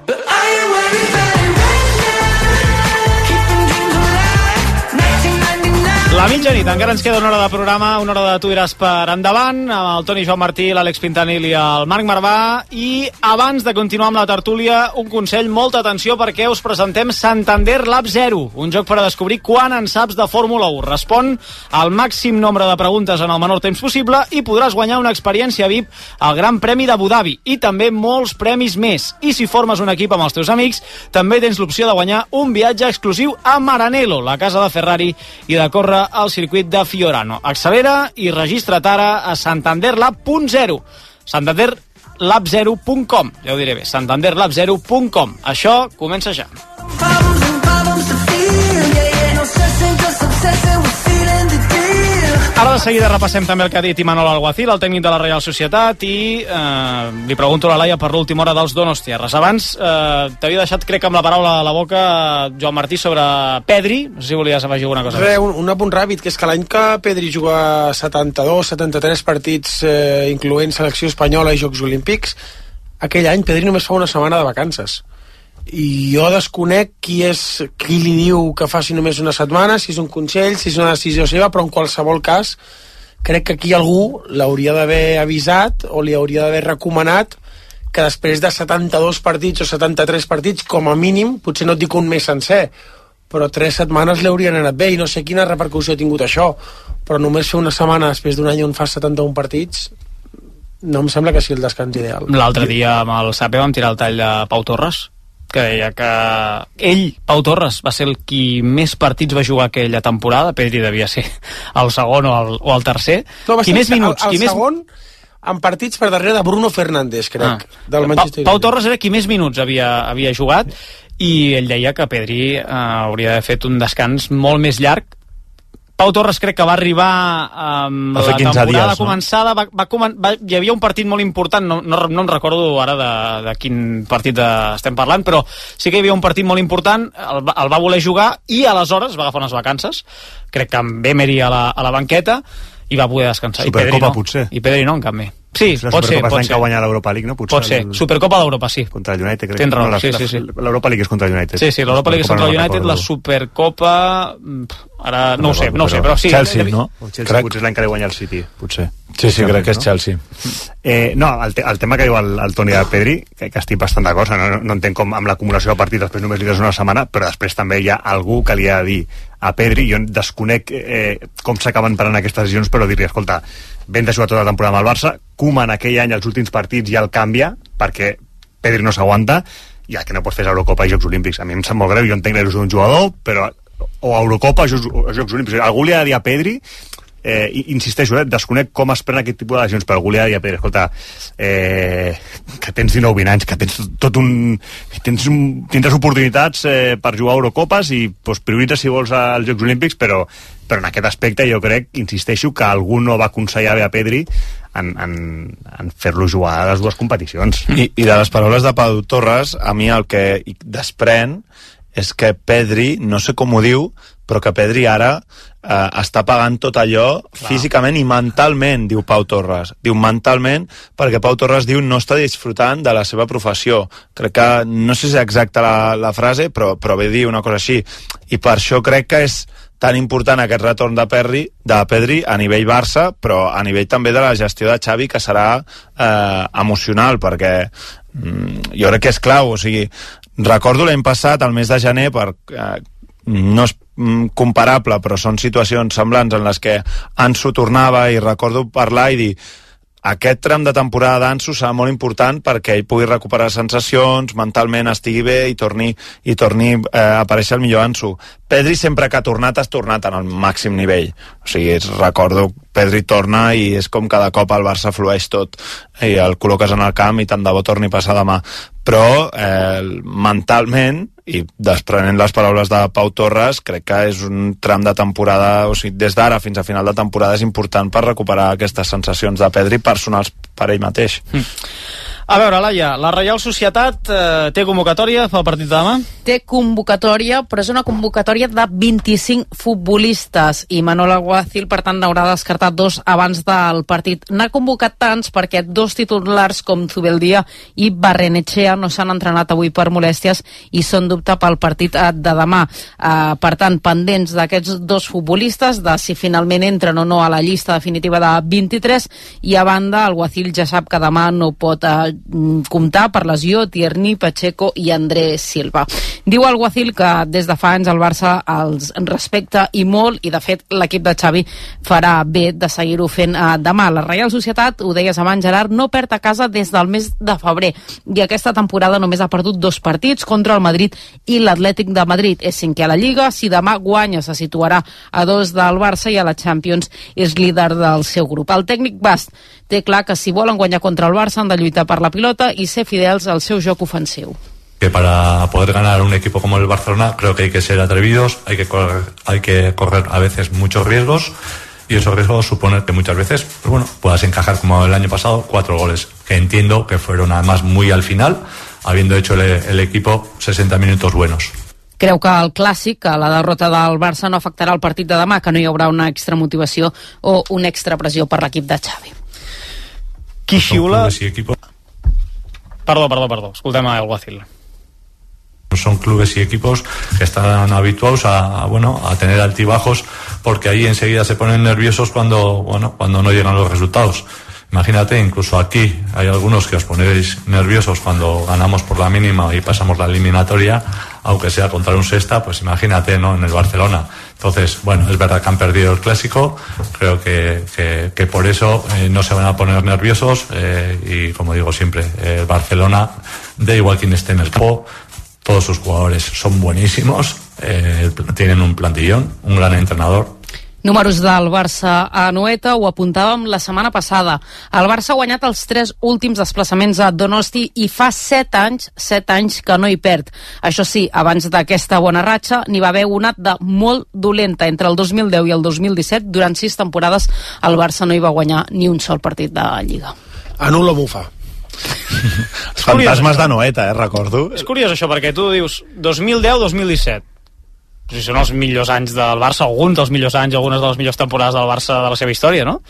La mitjanit, encara ens queda una hora de programa, una hora de Tu diràs per endavant, amb el Toni Joan Martí, l'Àlex Pintanil i el Marc Marvà. I abans de continuar amb la tertúlia, un consell, molta atenció, perquè us presentem Santander Lab Zero, un joc per a descobrir quan en saps de Fórmula u. Respon al màxim nombre de preguntes en el menor temps possible i podràs guanyar una experiència V I P al Gran Premi d'Abu Dhabi i també molts premis més. I si formes un equip amb els teus amics, també tens l'opció de guanyar un viatge exclusiu a Maranello, la casa de Ferrari, i de córrer al circuit de Fiorano. Accelera i registra't ara a santander lab punt zero. santander lab zero punt com. Ja ho diré bé, santander lab zero punt com. Això comença ja. Ara de seguida repassem també el que ha dit Imanol Alguacil, el tècnic de la Reial Societat, i eh, li pregunto a la Laia per l'última hora dels Donostiarres. Abans eh, t'havia deixat, crec, amb la paraula a la boca, Joan Martí, sobre Pedri. No sé si volies afegir alguna cosa. Re, un, un apunt ràpid, que és que l'any que Pedri juga setanta-dos setanta-tres partits, eh, incloent selecció espanyola i Jocs Olímpics, aquell any Pedri només fa una setmana de vacances. I jo desconec qui és qui li diu que faci només una setmana, si és un consell, si és una decisió seva, però en qualsevol cas crec que aquí algú l'hauria d'haver avisat o li hauria d'haver recomanat que després de setanta-dos partits o setanta-tres partits, com a mínim, potser no et dic un mes sencer, però tres setmanes li haurien anat bé, i no sé quina repercussió ha tingut això, però només fer una setmana després d'un any on fas setanta-un partits no em sembla que sigui el descans ideal. L'altre dia amb el Sape vam tirar el tall de Pau Torres, que deia que ell, Pau Torres, va ser el qui més partits va jugar aquella temporada. Pedri devia ser el segon o el, o el tercer. No, qui més minuts? El, el qui segon més... en partits per darrere de Bruno Fernández, crec, ah. del Manchester United. Pau Torres era qui més minuts havia, havia jugat, i ell deia que Pedri eh, hauria d'haver fet un descans molt més llarg. Pau Torres crec que va arribar amb la temporada dies, començada, no? va, va, comen va, hi havia un partit molt important, no, no, no em recordo ara de, de quin partit de, estem parlant, però sí que hi havia un partit molt important, el, el va voler jugar i aleshores va agafar unes vacances, crec que amb Emery a la, a la banqueta, i va poder descansar. Supercopa, I Pedri no. potser. I Pedri no, en canvi. Sí, la pot ser, pot ser. que guanyar l'Europa League, no? Potser pot ser. El... Supercopa d'Europa, sí. Contra el United, crec. Tens raó, no, la, sí, sí, sí. L'Europa League és contra el United. Sí, sí, l'Europa League és contra el United, la Supercopa... Ara no, no ho sé, no ho sé, però sí. Chelsea, no? O Chelsea crec... potser és l'any que li guanya el City, potser. Sí, sí, crec que és Chelsea. Eh, no, el, te el tema que diu el, el Toni de Pedri, que, que estic bastant d'acord, no, no entenc com amb l'acumulació de partits després només li des una setmana, però després també hi ha algú que li ha de dir a Pedri, jo desconec eh, com s'acaben parant aquestes decisions, però dir-li, escolta, ben de jugar tota la temporada amb el Barça, Koeman aquell any els últims partits ja el canvia, perquè Pedri no s'aguanta, i el que no pots fer és Eurocopa i Jocs Olímpics. A mi em sap molt greu, jo entenc l'il·lusió d'un jugador, però o Eurocopa o Jocs, o Jocs Olímpics. Algú li ha de dir a Pedri, eh, insisteixo, eh, desconec com es pren aquest tipus de decisions, però algú li ha de dir a Pedri, escolta, eh, que tens dinou vint anys, que tens tot un... Tens un tindràs oportunitats eh, per jugar a Eurocopes i pues, prioritza si vols als Jocs Olímpics, però, però en aquest aspecte jo crec, insisteixo, que algú no va aconsellar bé a Pedri en, en, en fer-lo jugar a les dues competicions. I, I de les paraules de Pau Torres, a mi el que desprèn és que Pedri, no sé com ho diu, però que Pedri ara eh, està pagant tot allò Clar. físicament i mentalment, diu Pau Torres. Diu mentalment, perquè Pau Torres diu no està disfrutant de la seva professió. Crec que, no sé si és exacta la, la frase, però, però ve dir una cosa així. I per això crec que és tan important aquest retorn de Pedri, de Pedri a nivell Barça, però a nivell també de la gestió de Xavi, que serà eh, emocional, perquè mm, jo crec que és clau. O sigui, recordo l'any passat, al mes de gener, per, eh, no és comparable, però són situacions semblants en les que Ansu tornava, i recordo parlar i dir: aquest tram de temporada d'Ansu serà molt important perquè ell pugui recuperar sensacions, mentalment estigui bé i torni, i torni eh, a aparèixer el millor Ansu. Pedri sempre que ha tornat, has tornat en el màxim nivell. O sigui, recordo, Pedri torna i és com cada cop el Barça flueix tot i el col·loques en el camp i tant de bo torni a passar demà. Però eh, mentalment, i desprenent les paraules de Pau Torres, crec que és un tram de temporada, o sigui, des d'ara fins a final de temporada és important per recuperar aquestes sensacions de Pedri personals per ell mateix. Mm. A veure, Laia, la Reial Societat eh, té convocatòria pel partit de demà? Té convocatòria, però és una convocatòria de vint-i-cinc futbolistes, i Manol Alguacil, per tant, n'haurà descartat dos abans del partit. N'ha convocat tants perquè dos titulars com Zubeldia i Barrenetxea no s'han entrenat avui per molèsties i són dubte pel partit de demà. Eh, per tant, pendents d'aquests dos futbolistes, de si finalment entren o no a la llista definitiva de vint-i-tres, i a banda, Alguacil ja sap que demà no pot eh, comptar per lesió Tierney, Pacheco i André Silva. Diu Alguacil que des de fa anys el Barça els respecta i molt, i de fet l'equip de Xavi farà bé de seguir-ho fent eh, demà. La Reial Societat, ho deies abans, Gerard, no perd a casa des del mes de febrer, i aquesta temporada només ha perdut dos partits, contra el Madrid i l'Atlètic de Madrid. És cinquè a la Lliga, si demà guanya se situarà a dos del Barça, i a la Champions és líder del seu grup. El tècnic basc té clar que si volen guanyar contra el Barça han de lluitar per la pilota i ser fidels al seu joc ofensiu. Que para poder ganar un equipo como el Barcelona creo que hay que ser atrevidos, hay que correr, hay que correr a veces muchos riesgos, y esos riesgos suponen que muchas veces, pues bueno, puedas encajar como el año pasado cuatro goles, que entiendo que fueron además muy al final, habiendo hecho el, el equipo sesenta minutos buenos. Creu que el clàssic, que la derrota del Barça no afectarà el partit de demà, que no hi haurà una extra motivació o una extra pressió per l'equip de Xavi. Qui xiula... Perdó, perdó, perdó, escoltem a Alguacil. Son clubes y equipos que están habituados a, a bueno a tener altibajos, porque ahí enseguida se ponen nerviosos cuando bueno cuando no llegan los resultados. Imagínate, incluso aquí hay algunos que os ponéis nerviosos cuando ganamos por la mínima y pasamos la eliminatoria, aunque sea contra un sexta, pues imagínate, ¿no?, en el Barcelona. Entonces, bueno, es verdad que han perdido el clásico, creo que, que, que por eso eh, no se van a poner nerviosos, eh, y como digo siempre, eh, el Barcelona, da igual quién esté en el campo, todos sus jugadores son buenísimos, eh, tienen un plantillón, un gran entrenador. Números del Barça a Anoeta, ho apuntàvem la setmana passada. El Barça ha guanyat els tres últims desplaçaments a Donosti i fa set anys, set anys que no hi perd. Això sí, abans d'aquesta bona ratxa n'hi va haver una de molt dolenta. Entre el dos mil deu i el dos mil disset, durant sis temporades, el Barça no hi va guanyar ni un sol partit de Lliga. Anulo Bufa. Els fantasmes d'Anoeta, eh, recordo. És curiós això, perquè tu dius dos mil deu dos mil disset. Si són els millors anys del Barça, alguns dels millors anys, algunes de les millors temporades del Barça de la seva història, no?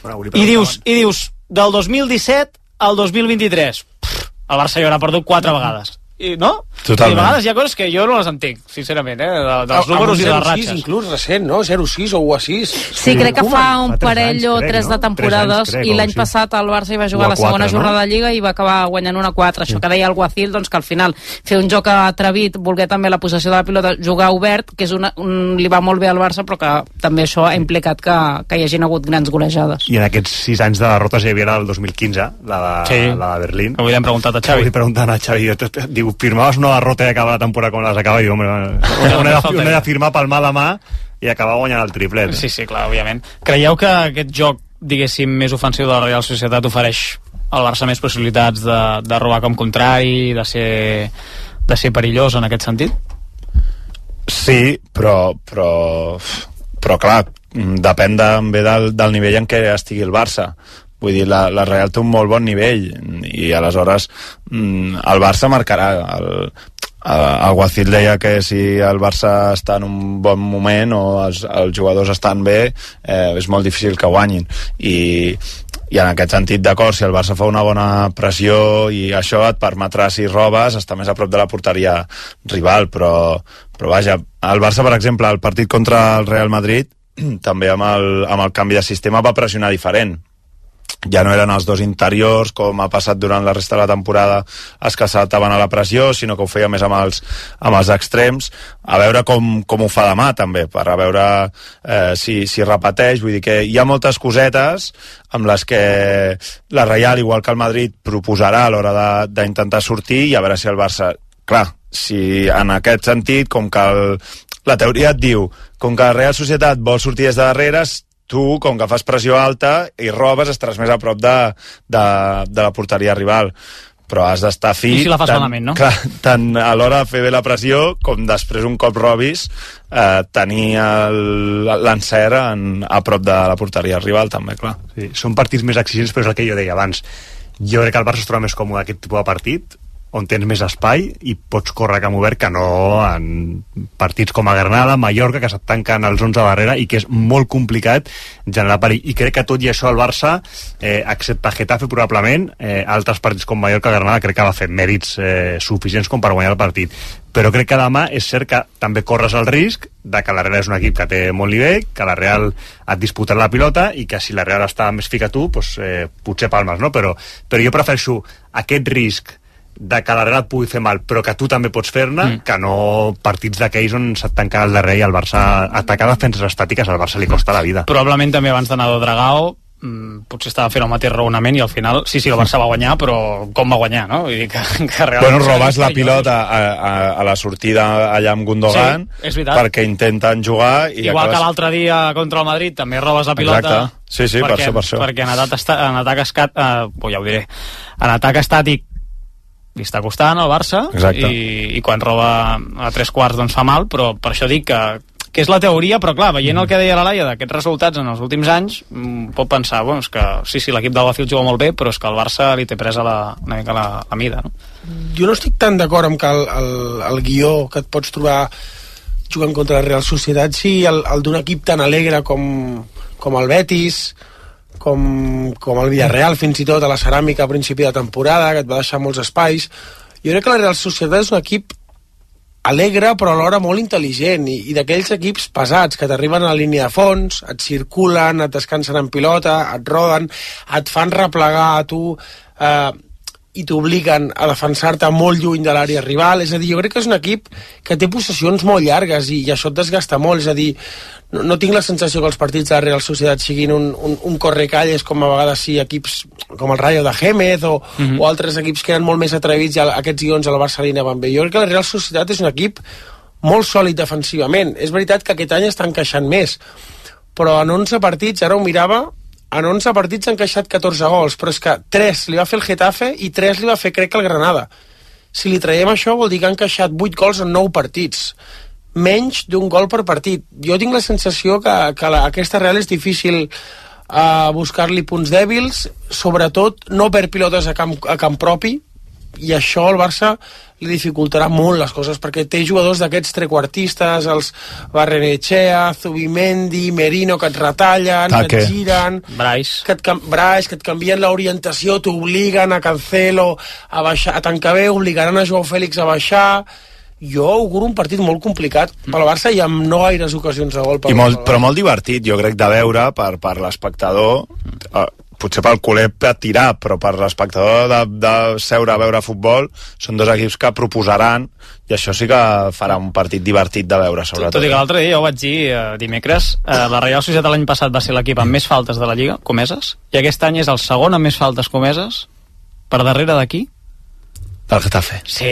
Bueno, I dius, i dius, del dos mil disset al dos mil vint-i-tres, pff, el Barça hi haurà perdut quatre vegades. I, no? Totalment. I a vegades hi ha coses que jo no les entenc, sincerament, eh? De, dels números i de les ratxes. Inclús recent, no? zero sis o u a sis. Sí, crec que fa un parell o tres de temporades, i l'any passat el Barça hi va jugar la segona jornada de Lliga i va acabar guanyant una quatre. Això que deia el Guacil, doncs que al final fer un joc atrevit, voler també la possessió de la pilota, jugar obert, que és una, un, li va molt bé al Barça, però que també això ha implicat que, que hi hagin hagut grans golejades. I en aquests sis anys de derrotes hi havia la del dos mil quinze, la de, sí, la de Berlín. Avui l'hem preguntat a Xavi. Avui preguntant a Xavi, diu, firmaves una derrota i acaba la temporada com les acaba, i diu, home, un ha de, de firmar pel mà de mà i acabar guanyant el triplet. Sí, sí, clar, òbviament. Creieu que aquest joc, diguéssim, més ofensiu de la Real Societat ofereix al Barça més possibilitats de, de robar com contrari, de ser, de ser perillós en aquest sentit? Sí, però però, però clar, depèn també del, del nivell en què estigui el Barça. Vull dir, la, la Real té un molt bon nivell i aleshores el Barça marcarà. El, el Guacil deia que si el Barça està en un bon moment o els, els jugadors estan bé, eh, és molt difícil que guanyin. I, i en aquest sentit, d'acord, si el Barça fa una bona pressió i això et permetrà, si robes, estar més a prop de la porteria rival, però, però vaja, el Barça, per exemple, el partit contra el Real Madrid, també amb el, amb el canvi de sistema va pressionar diferent. Ja no eren els dos interiors, com ha passat durant la resta de la temporada, els que saltaven a la pressió, sinó que ho feia més amb els, amb els extrems. A veure com, com ho fa demà, també, per a veure eh, si, si repeteix. Vull dir que hi ha moltes cosetes amb les que la Reial, igual que el Madrid, proposarà a l'hora d'intentar sortir, i a veure si el Barça... Clar, si en aquest sentit, com que el, la teoria et diu, com que la Real Societat vol sortir des de darrere, tu, com que fas pressió alta i robes, estaràs més a prop de, de, de la porteria rival. Però has d'estar fi... I si la fas tant, malament, no? Clar, tant a l'hora de fer bé la pressió, com després un cop robis, eh, tenir l'encert a prop de la porteria rival, també, clar. Sí, són partits més exigents, però és el que jo deia abans. Jo crec que el Barça es troba més còmode aquest tipus de partit, on tens més espai i pots córrer camp obert, que no en partits com a Granada, Mallorca, que se't tanquen els onze darrere i que és molt complicat generar perill. I crec que tot i això el Barça, eh, excepte Getafe probablement, eh, altres partits com Mallorca, Granada, crec que va fer mèrits eh, suficients com per guanyar el partit. Però crec que demà és cert que també corres el risc de que la Real és un equip que té molt nivell, que la Real et disputarà la pilota i que si la Real està més fica tu, doncs, eh, potser palmes, no? Però, però jo prefereixo aquest risc de que la Real et pugui fer mal, però que tu també pots fer-ne, mm. que no partits d'aquells on se't tanca el darrer i el Barça atacar defenses estàtiques, al Barça li costa la vida. Probablement també abans d'anar a Dragao mm, potser estava fent el mateix raonament i al final, sí, sí, el Barça va guanyar, però com va guanyar, no? Vull dir que, que realment... Bueno, robes la pilota a, a, a la sortida allà amb Gundogan, sí, perquè intenten jugar... I igual acabes... que l'altre dia contra el Madrid també robes la pilota. Exacte. Sí, sí, perquè, per això, per això. Perquè en atac, esta, en atac escat, eh, oh, ja ho diré, en atac estàtic li està costant al Barça i, i quan roba a tres quarts doncs fa mal, però per això dic que, que és la teoria, però clar, veient el que deia la Laia d'aquests resultats en els últims anys, pot pensar, bueno, és que sí, sí, l'equip del Bafil juga molt bé, però és que el Barça li té presa la, una mica la, la mida, no? Jo no estic tan d'acord amb que el, el, el guió que et pots trobar jugant contra la Real Societat sí el, el d'un equip tan alegre com, com el Betis, com, com el Villarreal, fins i tot a la Ceràmica a principi de temporada, que et va deixar molts espais. Jo crec que la Real Societat és un equip alegre, però alhora molt intel·ligent, i, i d'aquells equips pesats, que t'arriben a la línia de fons, et circulen, et descansen en pilota, et roden, et fan replegar a tu, eh, i t'obliguen a defensar-te molt lluny de l'àrea rival. És a dir, jo crec que és un equip que té possessions molt llargues i, i això et desgasta molt. És a dir, no, no tinc la sensació que els partits de la Real Societat siguin un, un, un correcalles com a vegades sí equips com el Rayo de Gémez o, mm-hmm. o altres equips que eren molt més atrevits i aquests guions a la Barça li anaven bé. Jo crec que la Real Societat és un equip molt sòlid defensivament. És veritat que aquest any està encaixant més, però en onze partits, ara ho mirava, en onze partits ha encaixat catorze gols, però és que tres li va fer el Getafe i tres li va fer, crec, el Granada. Si li traiem això vol dir que ha encaixat vuit gols en nou partits, menys d'un gol per partit. Jo tinc la sensació que, que la, aquesta Real és difícil uh, buscar-li punts dèbils, sobretot no per pilotes a camp, a camp propi, i això al Barça li dificultarà molt les coses, perquè té jugadors d'aquests trequartistes, els Barrenechea, Zubimendi, Merino, que et retallen, Taque. que et giren, Brais. que et, Brais, que et canvien l'orientació, t'obliguen a Cancelo a baixar, a tancar bé, obligaran a Joao Fèlix a baixar. Jo auguro un partit molt complicat pel Barça i amb no gaires ocasions de gol pel I molt, però molt divertit, jo crec, de veure per, per l'espectador, eh, potser pel culer a tirar, però per l'espectador de, de seure a veure futbol, són dos equips que proposaran, i això sí que farà un partit divertit de veure, sobretot. Tot i que l'altre dia, ja ho vaig dir eh, dimecres, eh, la Real Societat l'any passat va ser l'equip amb més faltes de la Lliga, comeses, i aquest any és el segon amb més faltes comeses, per darrere d'aquí. Del Getafe. Sí,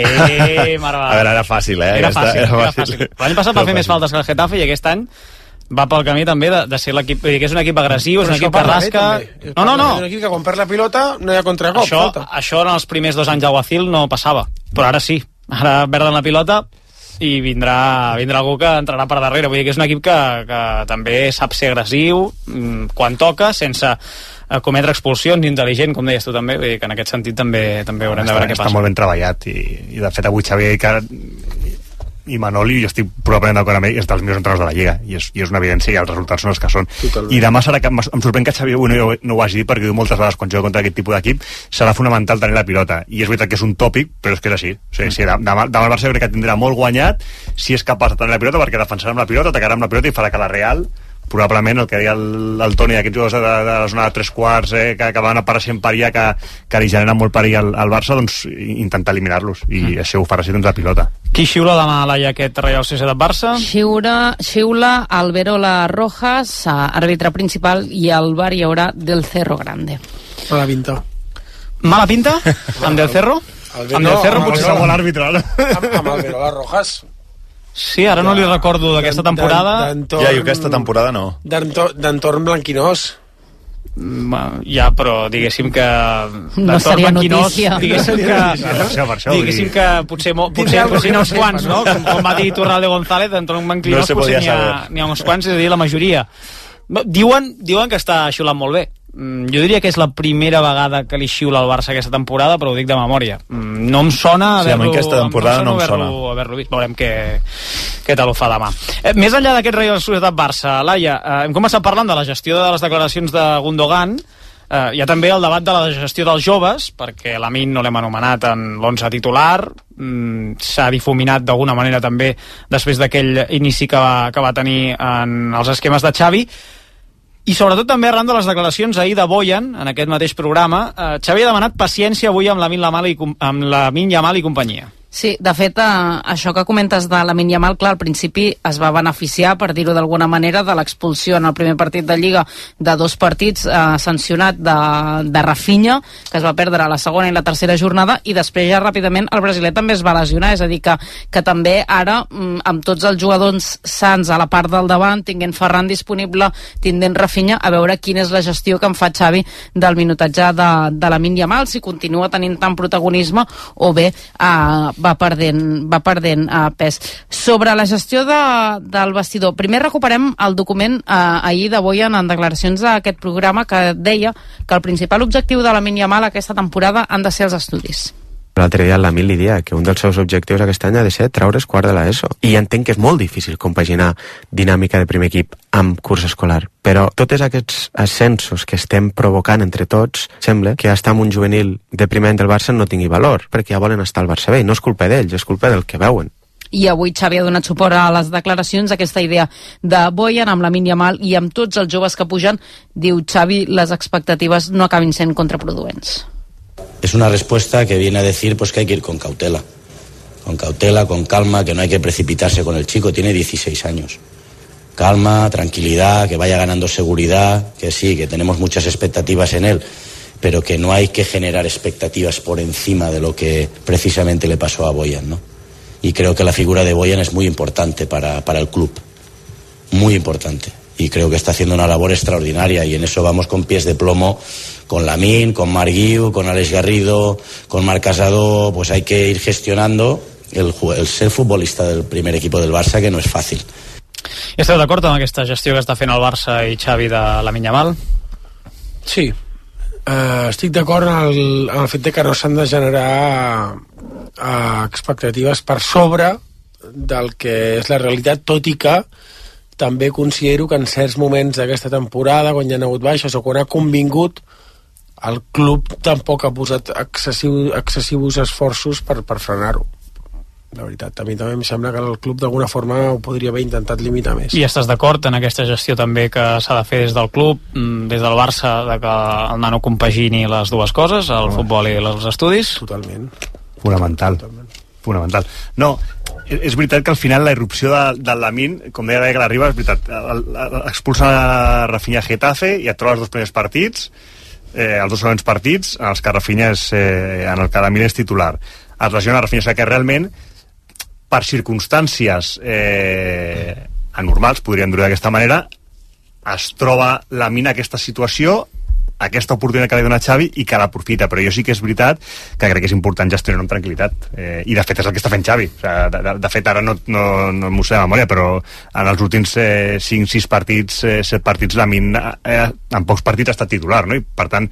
mare A veure, era fàcil, eh? Era Aquesta, fàcil, era era fàcil. fàcil. L'any passat va fer més faltes que el Getafe i aquest any va pel camí també de, de ser l'equip, vull dir que és un equip agressiu, és un equip que rasca... No, no, no. És un equip que quan perd la pilota no hi ha contracop. Això, això en els primers dos anys del Guacil no passava, però ara sí. Ara perden la pilota i vindrà, vindrà algú que entrarà per darrere. Vull dir que és un equip que, que també sap ser agressiu quan toca, sense cometre expulsions, intel·ligent, com deies tu també. Vull dir que en aquest sentit també, també haurem de veure què passa. Està molt ben treballat i, i de fet avui Xavier que i Manoli, jo estic probablement d'acord amb ell, és dels millors entrenadors de la Lliga, i és, i és una evidència, i els resultats són els que són. Totalment. I demà serà que em sorprèn que Xavi avui no, no ho hagi dit, perquè diu moltes vegades quan juga contra aquest tipus d'equip serà fonamental tenir la pilota, i és veritat que és un tòpic, però és que és així. O sigui, si demà, demà el Barça crec que tindrà molt guanyat si és capaç de tenir la pilota, perquè defensarà amb la pilota, atacarà amb la pilota i farà que la Real, probablement el que deia el, el Toni d'aquests jugadors de, de la zona de tres quarts eh, que, que van apareixent per allà, que, que li generen molt perill al, al Barça, doncs intentar eliminar-los, i mm. això ho farà així, doncs la pilota. Qui xiula demà, Laia, aquest Reial Societat-Barça? Xiula, xiula Alberola Rojas, àrbitre principal, i al bar hi haurà Del Cerro Grande. Mala pinta. Mala pinta? Amb Del Cerro? Albero, amb Del Cerro amb potser Albero, serà l'àrbitre, no? Amb, amb Alberola Rojas. Sí, ara no li recordo d'aquesta temporada. Ja, jo aquesta temporada no. D'entorn blanquinós. Ja, però diguéssim que no seria notícia. Diguéssim que, diguéssim que potser, potser, potser n'hi ha uns quants, no? Com, com va dir Turralde González, d'entorn blanquinós no potser n'hi ha, n'hi ha uns quants, és a dir, la majoria. Diuen, diuen que està xiulant molt bé. Jo diria que és la primera vegada que li xiula al Barça aquesta temporada, però ho dic de memòria. No em sona haver-lo sí, aquesta temporada no em sona. Haver-lo vist. Veurem què, què tal ho fa demà. Eh, més enllà d'aquest Reial Societat-Barça, Laia, eh, hem començat parlant de la gestió de les declaracions de Gundogan. Eh, hi ha també el debat de la gestió dels joves, perquè l'Amin no l'hem anomenat en l'onze titular, mm, s'ha difuminat d'alguna manera també després d'aquell inici que va, que va tenir en els esquemes de Xavi. I sobretot també arran de les declaracions ahir de Boyan, en aquest mateix programa, eh, Xavi ha demanat paciència avui amb Lamine Yamal i, amb Lamine Yamal i companyia. Sí, de fet, eh, això que comentes de Lamine Yamal, clar, al principi es va beneficiar, per dir-ho d'alguna manera, de l'expulsió en el primer partit de Lliga de dos partits eh, sancionat de, de Rafinha, que es va perdre a la segona i la tercera jornada, i després ja ràpidament el brasiler també es va lesionar, és a dir que, que també ara, amb tots els jugadors sants a la part del davant, tinguent Ferran disponible, tinguent Rafinha, a veure quina és la gestió que en fa Xavi del minutatge de, de Lamine Yamal, si continua tenint tant protagonisme o bé eh, va perdent, va perdent uh, pes. Sobre la gestió de, del vestidor, primer recuperem el document uh, ahir de Boyan en declaracions d'aquest programa que deia que el principal objectiu de Lamine Yamal aquesta temporada han de ser els estudis. L'altre dia el Lamine li dia que un dels seus objectius aquest any ha de ser treure's quart de l'ESO. I entenc que és molt difícil compaginar dinàmica de primer equip amb curs escolar. Però tots aquests ascensos que estem provocant entre tots, sembla que estar amb un juvenil de primer any del Barça no tingui valor, perquè ja volen estar al Barça B. I no és culpa d'ells, és culpa del que veuen. I avui Xavi ha donat suport a les declaracions, aquesta idea de Boyan amb Lamine Yamal i amb tots els joves que pugen. Diu Xavi, les expectatives no acabin sent contraproduents. Es una respuesta que viene a decir pues que hay que ir con cautela, con cautela, con calma, que no hay que precipitarse con el chico, tiene dieciséis años. Calma, tranquilidad, que vaya ganando seguridad, que sí, que tenemos muchas expectativas en él, pero que no hay que generar expectativas por encima de lo que precisamente le pasó a Boyan, ¿no? Y creo que la figura de Boyan es muy importante para, para el club, muy importante. Y creo que está haciendo una labor extraordinaria y en eso vamos con pies de plomo con Lamine, con Marc Guiu, con Alex Garrido, con Marc Casado. Pues hay que ir gestionando el, el ser futbolista del primer equipo del Barça, que no és fàcil. I esteu d'acord amb aquesta gestió que està fent el Barça i Xavi de Lamine Yamal? Sí, uh, estic d'acord en, el, en el fet de que no s'han de generar uh, expectatives per sobre del que és la realitat, tot i que també considero que en certs moments d'aquesta temporada, quan hi ha hagut baixes o quan ha convingut, el club tampoc ha posat excessiu, excessius esforços per, per frenar-ho. La veritat, a mi també em sembla que el club d'alguna forma ho podria haver intentat limitar més. I estàs d'acord en aquesta gestió també que s'ha de fer des del club, des del Barça, de que el nano compagini les dues coses, el oh. futbol i els estudis? Totalment. Fonamental. Totalment. Fonamental. No, és veritat que al final la irrupció de, de Lamine, com deia que l'arriba, és veritat, expulsa Rafinha a Getafe i et trobes els dos primers partits, eh, els dos següents partits en els que Rafinha és, eh, en el que Lamine és titular. Es lesiona Rafinha, o sigui que realment per circumstàncies eh, anormals, podríem dir d'aquesta manera, es troba Lamine en aquesta situació aquesta oportunitat que li dona Xavi i que l'aprofita, però jo sí que és veritat que crec que és important gestionar amb tranquil·litat, eh, i de fet és el que està fent Xavi. O sigui, de, de, de fet ara no, no, no m'ho sé de memòria, però en els últims eh, cinc sis partits, eh, set partits, Lamine eh, en pocs partits ha estat titular, no? I per tant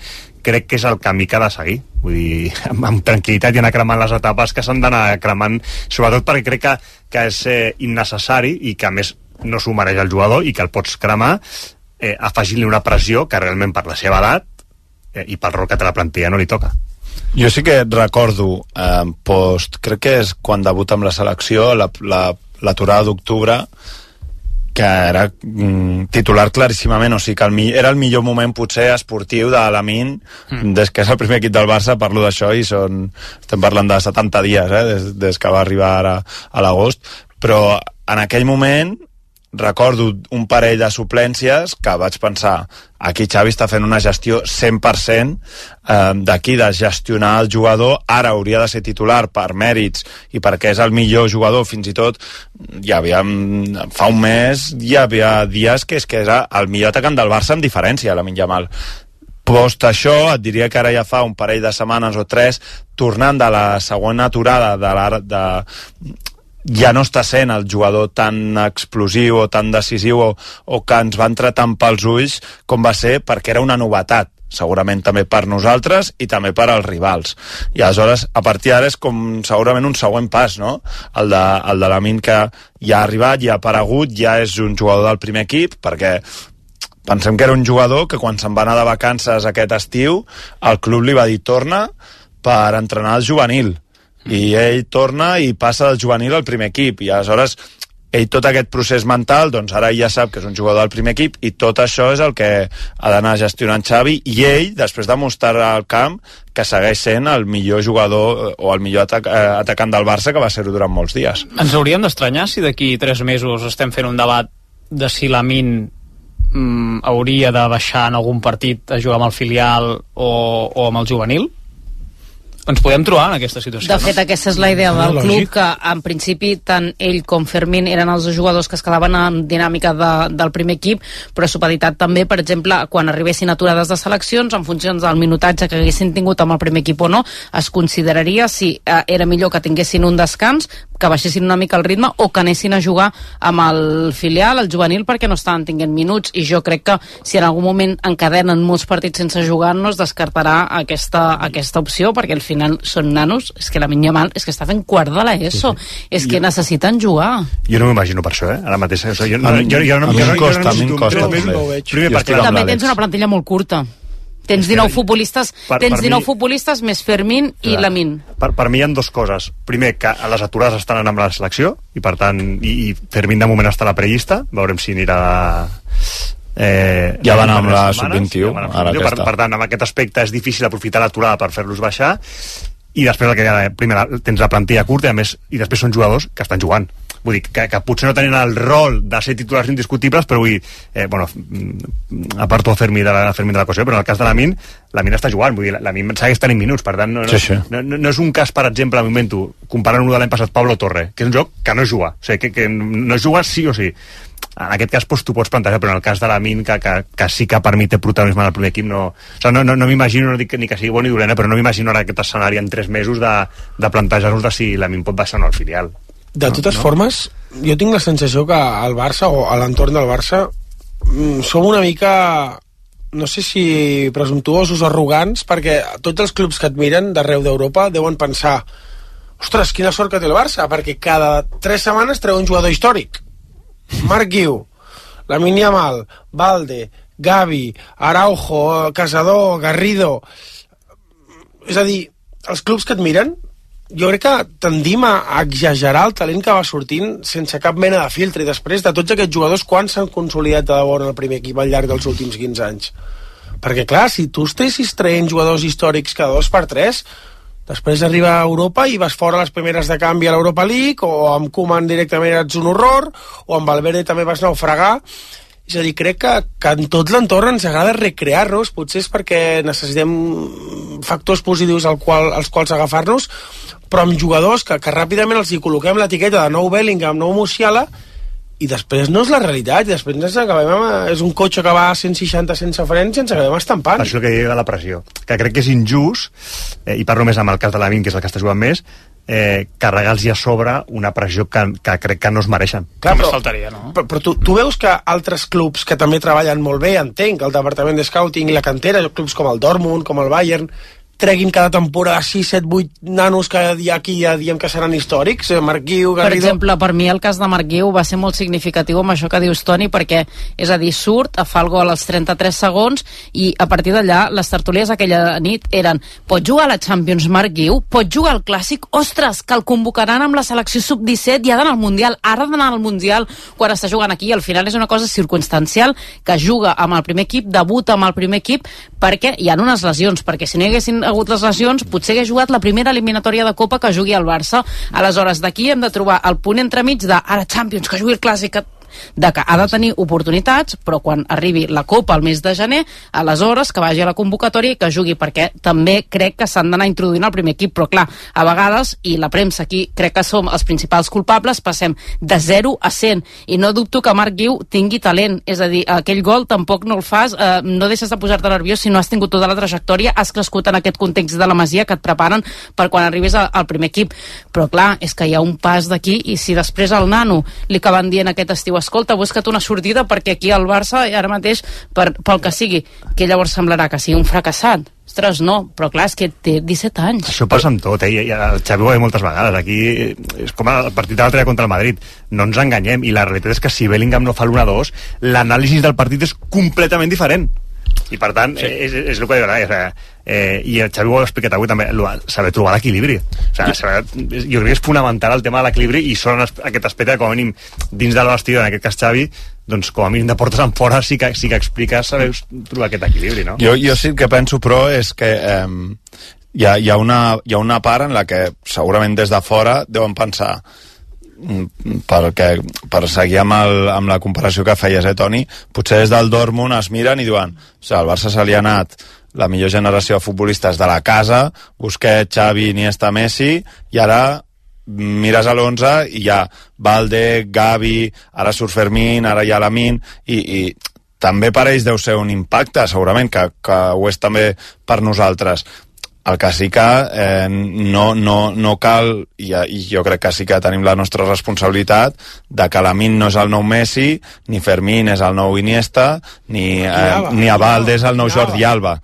crec que és el camí que ha de seguir, vull dir, amb, amb tranquil·litat i anar cremant les etapes que s'han d'anar cremant, sobretot perquè crec que, que és eh, innecessari i que a més no s'ho mereix el jugador i que el pots cremar eh, afegint-li una pressió que realment per la seva edat eh, i pel rol que té la plantilla no li toca. Jo sí que recordo eh, post, crec que és quan debuta amb la selecció, la, la, l'aturada d'octubre, que era mm, titular claríssimament, o sigui que el, era el millor moment potser esportiu de Lamine mm. des que és el primer equip del Barça, parlo d'això i són, estem parlant de setanta dies eh, des, des que va arribar ara a l'agost, però en aquell moment recordo un parell de suplències que vaig pensar, aquí Xavi està fent una gestió cent per cent eh, d'aquí, de gestionar el jugador, ara hauria de ser titular per mèrits i perquè és el millor jugador, fins i tot hi havia, fa un mes hi havia dies que és que era el millor atacant del Barça amb diferència, Lamine Yamal. Post això, et diria que ara ja fa un parell de setmanes o tres, tornant de la segona aturada de la, de, ja no està sent el jugador tan explosiu o tan decisiu o, o que ens va entrar tant pels ulls com va ser, perquè era una novetat segurament també per nosaltres i també per als rivals, i aleshores a partir d'ara és com segurament un següent pas, no? El de, el de Lamine, que ja ha arribat, ja ha aparegut, ja és un jugador del primer equip, perquè pensem que era un jugador que quan se'n va anar de vacances aquest estiu el club li va dir torna per entrenar el juvenil, i ell torna i passa del juvenil al primer equip, i aleshores ell tot aquest procés mental, doncs ara ja sap que és un jugador del primer equip, i tot això és el que ha d'anar gestionant Xavi, i ell, després de mostrar al camp que segueix sent el millor jugador o el millor atac eh, atacant del Barça, que va ser-ho durant molts dies. Ens hauríem d'estranyar si d'aquí tres mesos estem fent un debat de si Lamine mm, hauria de baixar en algun partit a jugar amb el filial o, o amb el juvenil? Ens podem trobar en aquesta situació. De fet, no? Aquesta és la idea del no, club, que en principi tant ell com Fermín eren els jugadors que es quedaven en dinàmica de, del primer equip, però supeditat també, per exemple, quan arribessin aturades de seleccions, en funció del minutatge que haguessin tingut amb el primer equip o no, es consideraria si eh, era millor que tinguessin un descans, que baixessin una mica el ritme, o que anessin a jugar amb el filial, el juvenil, perquè no estaven tinguent minuts, i jo crec que si en algun moment encadenen molts partits sense jugar, no es descartarà aquesta, aquesta opció, perquè al final són nanos, és que Lamine Yamal és que està fent quart de l'ESO, sí, sí. És que jo, necessiten jugar. Jo no m'imagino per això, eh? Ara mateix, o sigui, jo, no, jo, jo, no, a mi em costa, a mi em costa. També tens una plantilla molt curta. Tens dinou futbolistes, per, tens dinou mi, futbolistes més Fermín i clar, Lamine. Per, per mi hi ha dues coses. Primer, que a les aturades estan anant amb la selecció, i per tant, i, i Fermín de moment està a la prellista, veurem si anirà... Eh, ja van amb la sub vint-i-u, ja ara per, per tant, amb aquest aspecte és difícil aprofitar l'aturada per fer-los baixar, i després el que deia, primer tens la plantilla curta, i a més, i després són jugadors que estan jugant, vull dir, que, que potser no tenen el rol de ser titulars indiscutibles, però vull dir, eh, bueno, aparto a Fermín de la, Fermín de la qüestió, però en el cas de Lamine, Lamine està jugant, vull dir, Lamine segueix tenint minuts, per tant, no, no, sí, sí. no, no, no és un cas, per exemple, al moment, comparant-ho de l'any passat, Pablo Torre, que és un joc que no juga, o sigui, que, que no juga sí o sí. En aquest cas doncs, tu pots plantejar, però en el cas de Lamine, que, que, que sí que permet protagonisme en el primer equip, no, o sigui, no, no, no m'imagino, no dic ni que sigui bo ni dolent, però no m'imagino ara aquest escenari en tres mesos de, de plantejar-nos de si Lamine pot baixar o no al filial. De totes no? formes, jo tinc la sensació que al Barça, o a l'entorn del Barça, som una mica, no sé si presumptuosos o arrogants, perquè tots els clubs que et miren d'arreu d'Europa deuen pensar, ostres, quina sort que té el Barça, perquè cada tres setmanes treu un jugador històric. Marc Guiu, Lamine Yamal, Balde, Gavi, Araujo, Casador, Garrido. És a dir, els clubs que et miren, jo crec que tendim a exagerar el talent que va sortint sense cap mena de filtre, i després de tots aquests jugadors, quants s'han consolidat de debò en el primer equip al llarg dels últims quinze anys? Perquè clar, si tu estessis traient jugadors històrics cada dos per tres, després arriba a Europa i vas fora les primeres de canvi a l'Europa League, o amb Koeman directament ets un horror, o amb Valverde també vas naufragar. És a dir, crec que, que en tot l'entorn ens agrada recrear-nos, potser és perquè necessitem factors positius al qual, als quals agafar-nos, però amb jugadors que, que ràpidament els hi col·loquem l'etiqueta de nou Bellingham, nou Musiala, i després no és la realitat, i després ens acabem amb, és un cotxe que va a cent seixanta sense frens i ens acabem estampant. Això que diu de la pressió, que crec que és injust, eh, i parlo més amb el cas de l'Amin, que és el que està jugant més, eh, carregar-los a sobre una pressió que, que crec que no es mereixen. Clar, però, faltaria, no? però, però tu, tu veus que altres clubs que també treballen molt bé, entenc, el departament de scouting i la cantera, clubs com el Dortmund, com el Bayern, treguin cada temporada sis, set, vuit nanos que aquí ja diem que seran històrics, Marc Guiu, Garrido... Per exemple, per mi el cas de Marc Guiu va ser molt significatiu amb això que dius, Toni, perquè, és a dir, surt, fa el gol als trenta-tres segons i a partir d'allà les tertúlies aquella nit eren: pot jugar a la Champions Marc Guiu? Pot jugar al Clàssic? Ostres, que el convocaran amb la selecció sub disset i ha d'anar al Mundial, ara ha d'anar al Mundial quan està jugant aquí, i al final és una cosa circumstancial, que juga amb el primer equip, debuta amb el primer equip, perquè hi ha unes lesions, perquè si no hi haguessin hagut les lesions, potser hagués jugat la primera eliminatòria de Copa que jugui al Barça. Aleshores, d'aquí hem de trobar el punt entremig de ara Champions, que jugui el Clàssic, de que ha de tenir oportunitats, però quan arribi la Copa al mes de gener, aleshores que vagi a la convocatòria i que jugui, perquè també crec que s'han d'anar introduint al primer equip, però clar, a vegades, i la premsa aquí crec que som els principals culpables, passem de zero a cent, i no dubto que Marc Guiu tingui talent, és a dir, aquell gol tampoc no el fas, eh, no deixes de posar-te nerviós si no has tingut tota la trajectòria, has crescut en aquest context de la Masia que et preparen per quan arribis a, al primer equip, però clar, és que hi ha un pas d'aquí, i si després al nano li acaben dient aquest estiu: escolta, busca't una sortida perquè aquí al Barça ara mateix, per, pel que sigui, que llavors semblarà que sigui un fracassat. Ostres, no, però clar, és que té disset anys. Això passa amb tot, eh? I el Xavi ho ha dit moltes vegades. Aquí és com el partit de l'altre dia contra el Madrid. No ens enganyem, i la realitat és que si Bellingham no fa l'u a dos, l'anàlisi del partit és completament diferent. I per tant, sí. és, és el que diu, eh? Eh, i el Xavi ho ha explicat avui també, saber trobar l'equilibri, o sigui, saber, jo crec que és fonamental el tema de l'equilibri, i són aquest aspecte que com a mínim dins del vestidor, en aquest cas Xavi, doncs com a mínim de portes en fora sí que, sí que expliques saber trobar aquest equilibri, no? Jo, jo sí que penso, però, és que eh, hi, ha, hi, ha una, hi ha una part en la que segurament des de fora deuen pensar, perquè, per seguir amb, el, amb la comparació que feies, eh, Toni, potser des del Dortmund es miren i diuen: o sigui, al Barça se li ha anat la millor generació de futbolistes de la casa, Busquets, Xavi, Iniesta, Messi, i ara mires a l'onze i hi ha Valde, Gavi, ara surt Fermín, ara hi ha Lamine, i, i també per ells deu ser un impacte, segurament, que, que ho és també per nosaltres. El que sí que eh, no, no, no cal, i, i jo crec que sí que tenim la nostra responsabilitat, de que Lamine no és el nou Messi, ni Fermín és el nou Iniesta, ni, eh, ni Abalde és el nou Jordi Alba.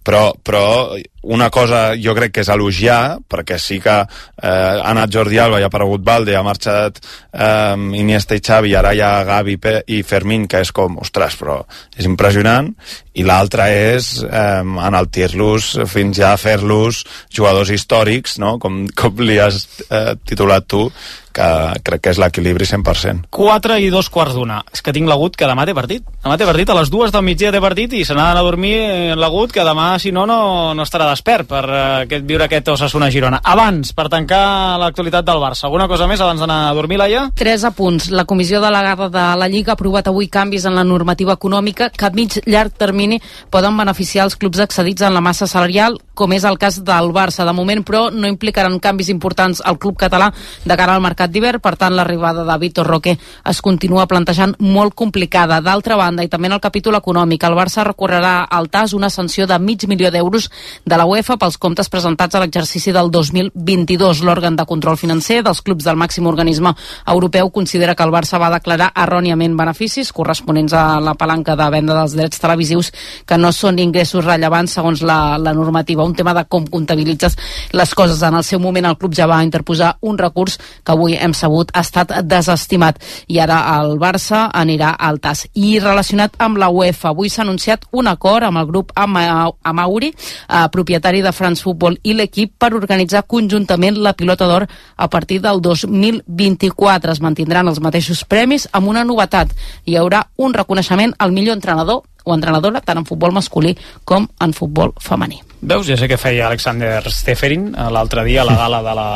Però, però una cosa jo crec que és elogiar, perquè sí que eh, ha anat Jordi Alba i ha aparegut Valde, ha marxat eh, Iniesta i Xavi, ara hi ha Gavi i Fermín, que és com, ostres, però és impressionant, i l'altra és eh, enaltir-los fins ja a fer-los jugadors històrics, no? com, com li has eh, titulat tu, que crec que és l'equilibri cent per cent. quatre i dos quarts d'una. És que tinc l'Agut, que demà té partit. Demà té partit, a les dues del migdia té partit, i se n'ha d'anar a dormir l'Agut, que demà, si no, no, no estarà despert per uh, aquest, viure aquest Osasuna-Girona. Abans, per tancar l'actualitat del Barça, alguna cosa més abans d'anar a dormir, Laia? Tres apunts. La Comissió Delegada de la Lliga ha aprovat avui canvis en la normativa econòmica que a mig llarg termini poden beneficiar els clubs excedits en la massa salarial, com és el cas del Barça. De moment, però, no implicaran canvis importants al club català de cara al mercat d'hivern, per tant l'arribada de Vitor Roque es continua plantejant molt complicada. D'altra banda, i també en el capítol econòmic, el Barça recorrerà al T A S una sanció de mig milió d'euros de la UEFA pels comptes presentats a l'exercici del dos mil vint-i-dos. L'òrgan de control financer dels clubs del màxim organisme europeu considera que el Barça va declarar erròniament beneficis corresponents a la palanca de venda dels drets televisius que no són ingressos rellevants segons la, la normativa. Un tema de com comptabilitzes les coses. En el seu moment el club ja va interposar un recurs que avui hem sabut ha estat desestimat, i ara el Barça anirà al T A S. I relacionat amb la UEFA, avui s'ha anunciat un acord amb el grup Ama Amauri, eh, propietari de France Football, i l'equip per organitzar conjuntament la Pilota d'Or a partir del dos mil vint-i-quatre. Es mantindran els mateixos premis amb una novetat: hi haurà un reconeixement al millor entrenador o entrenadora tant en futbol masculí com en futbol femení. Veus? Ja sé que feia Alexander Steferin l'altre dia a la gala de la,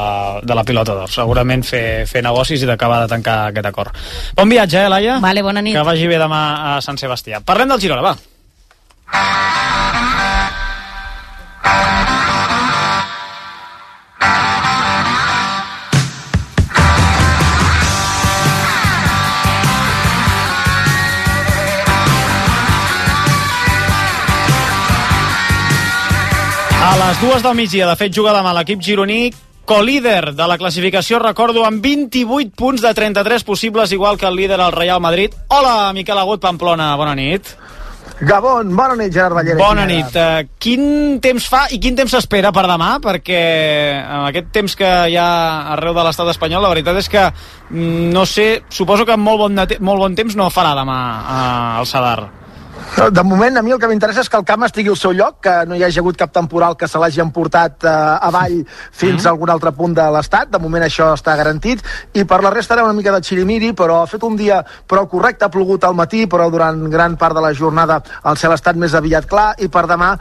de la Pilota d'Or. Segurament fer, fer negocis i d'acabar de tancar aquest acord. Bon viatge, eh, Laia? Vale, bona nit. Que vagi bé demà a Sant Sebastià. Parlem del Girona, va. A les dues del migdia, de fet, juga demà l'equip gironí, colíder de la classificació, recordo, amb vint-i-vuit punts de trenta-tres possibles, igual que el líder, el Real Madrid. Hola, Miquel Agut, Pamplona, bona nit. Gabon, bona nit, Gerard Ballera. Bona nit. Uh, quin temps fa i quin temps s'espera per demà? Perquè amb aquest temps que hi ha arreu de l'estat espanyol, la veritat és que, no sé, suposo que molt bon, molt bon temps no farà demà uh, al Sadar. De moment, a mi el que m'interessa és que el camp estigui al seu lloc, que no hi hagi hagut cap temporal que se l'hagi emportat eh, avall fins a algun altre punt de l'estat. De moment això està garantit. I per la resta era una mica de xirimiri, però ha fet un dia prou correcte, ha plogut al matí, però durant gran part de la jornada el cel ha estat més aviat clar, i per demà,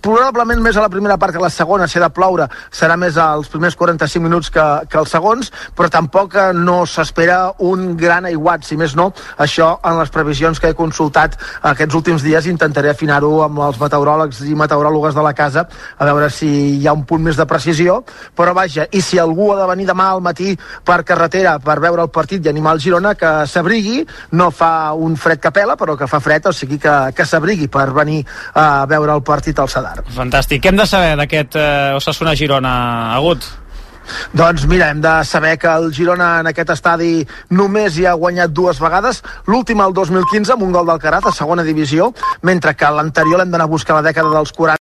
probablement més a la primera part que a la segona, si ha de ploure, serà més als primers quaranta-cinc minuts que, que els segons, però tampoc no s'espera un gran aiguat, si més no, això en les previsions que he consultat aquests últims dies. Intentaré afinar-ho amb els meteoròlegs i meteoròlogues de la casa, a veure si hi ha un punt més de precisió, però vaja, i si algú ha de venir demà al matí per carretera per veure el partit i animar el Girona, que s'abrigui, no fa un fred que pela, però que fa fred, o sigui que, que s'abrigui per venir a veure el partit al Sadar. Fantàstic. Què hem de saber d'aquest eh, Osasuna-Girona, Agut? Doncs mira, hem de saber que el Girona en aquest estadi només hi ha guanyat dues vegades, l'última el dos mil quinze amb un gol d'Alcaraz a segona divisió, mentre que l'anterior l'hem d'anar a buscar a la dècada dels quaranta.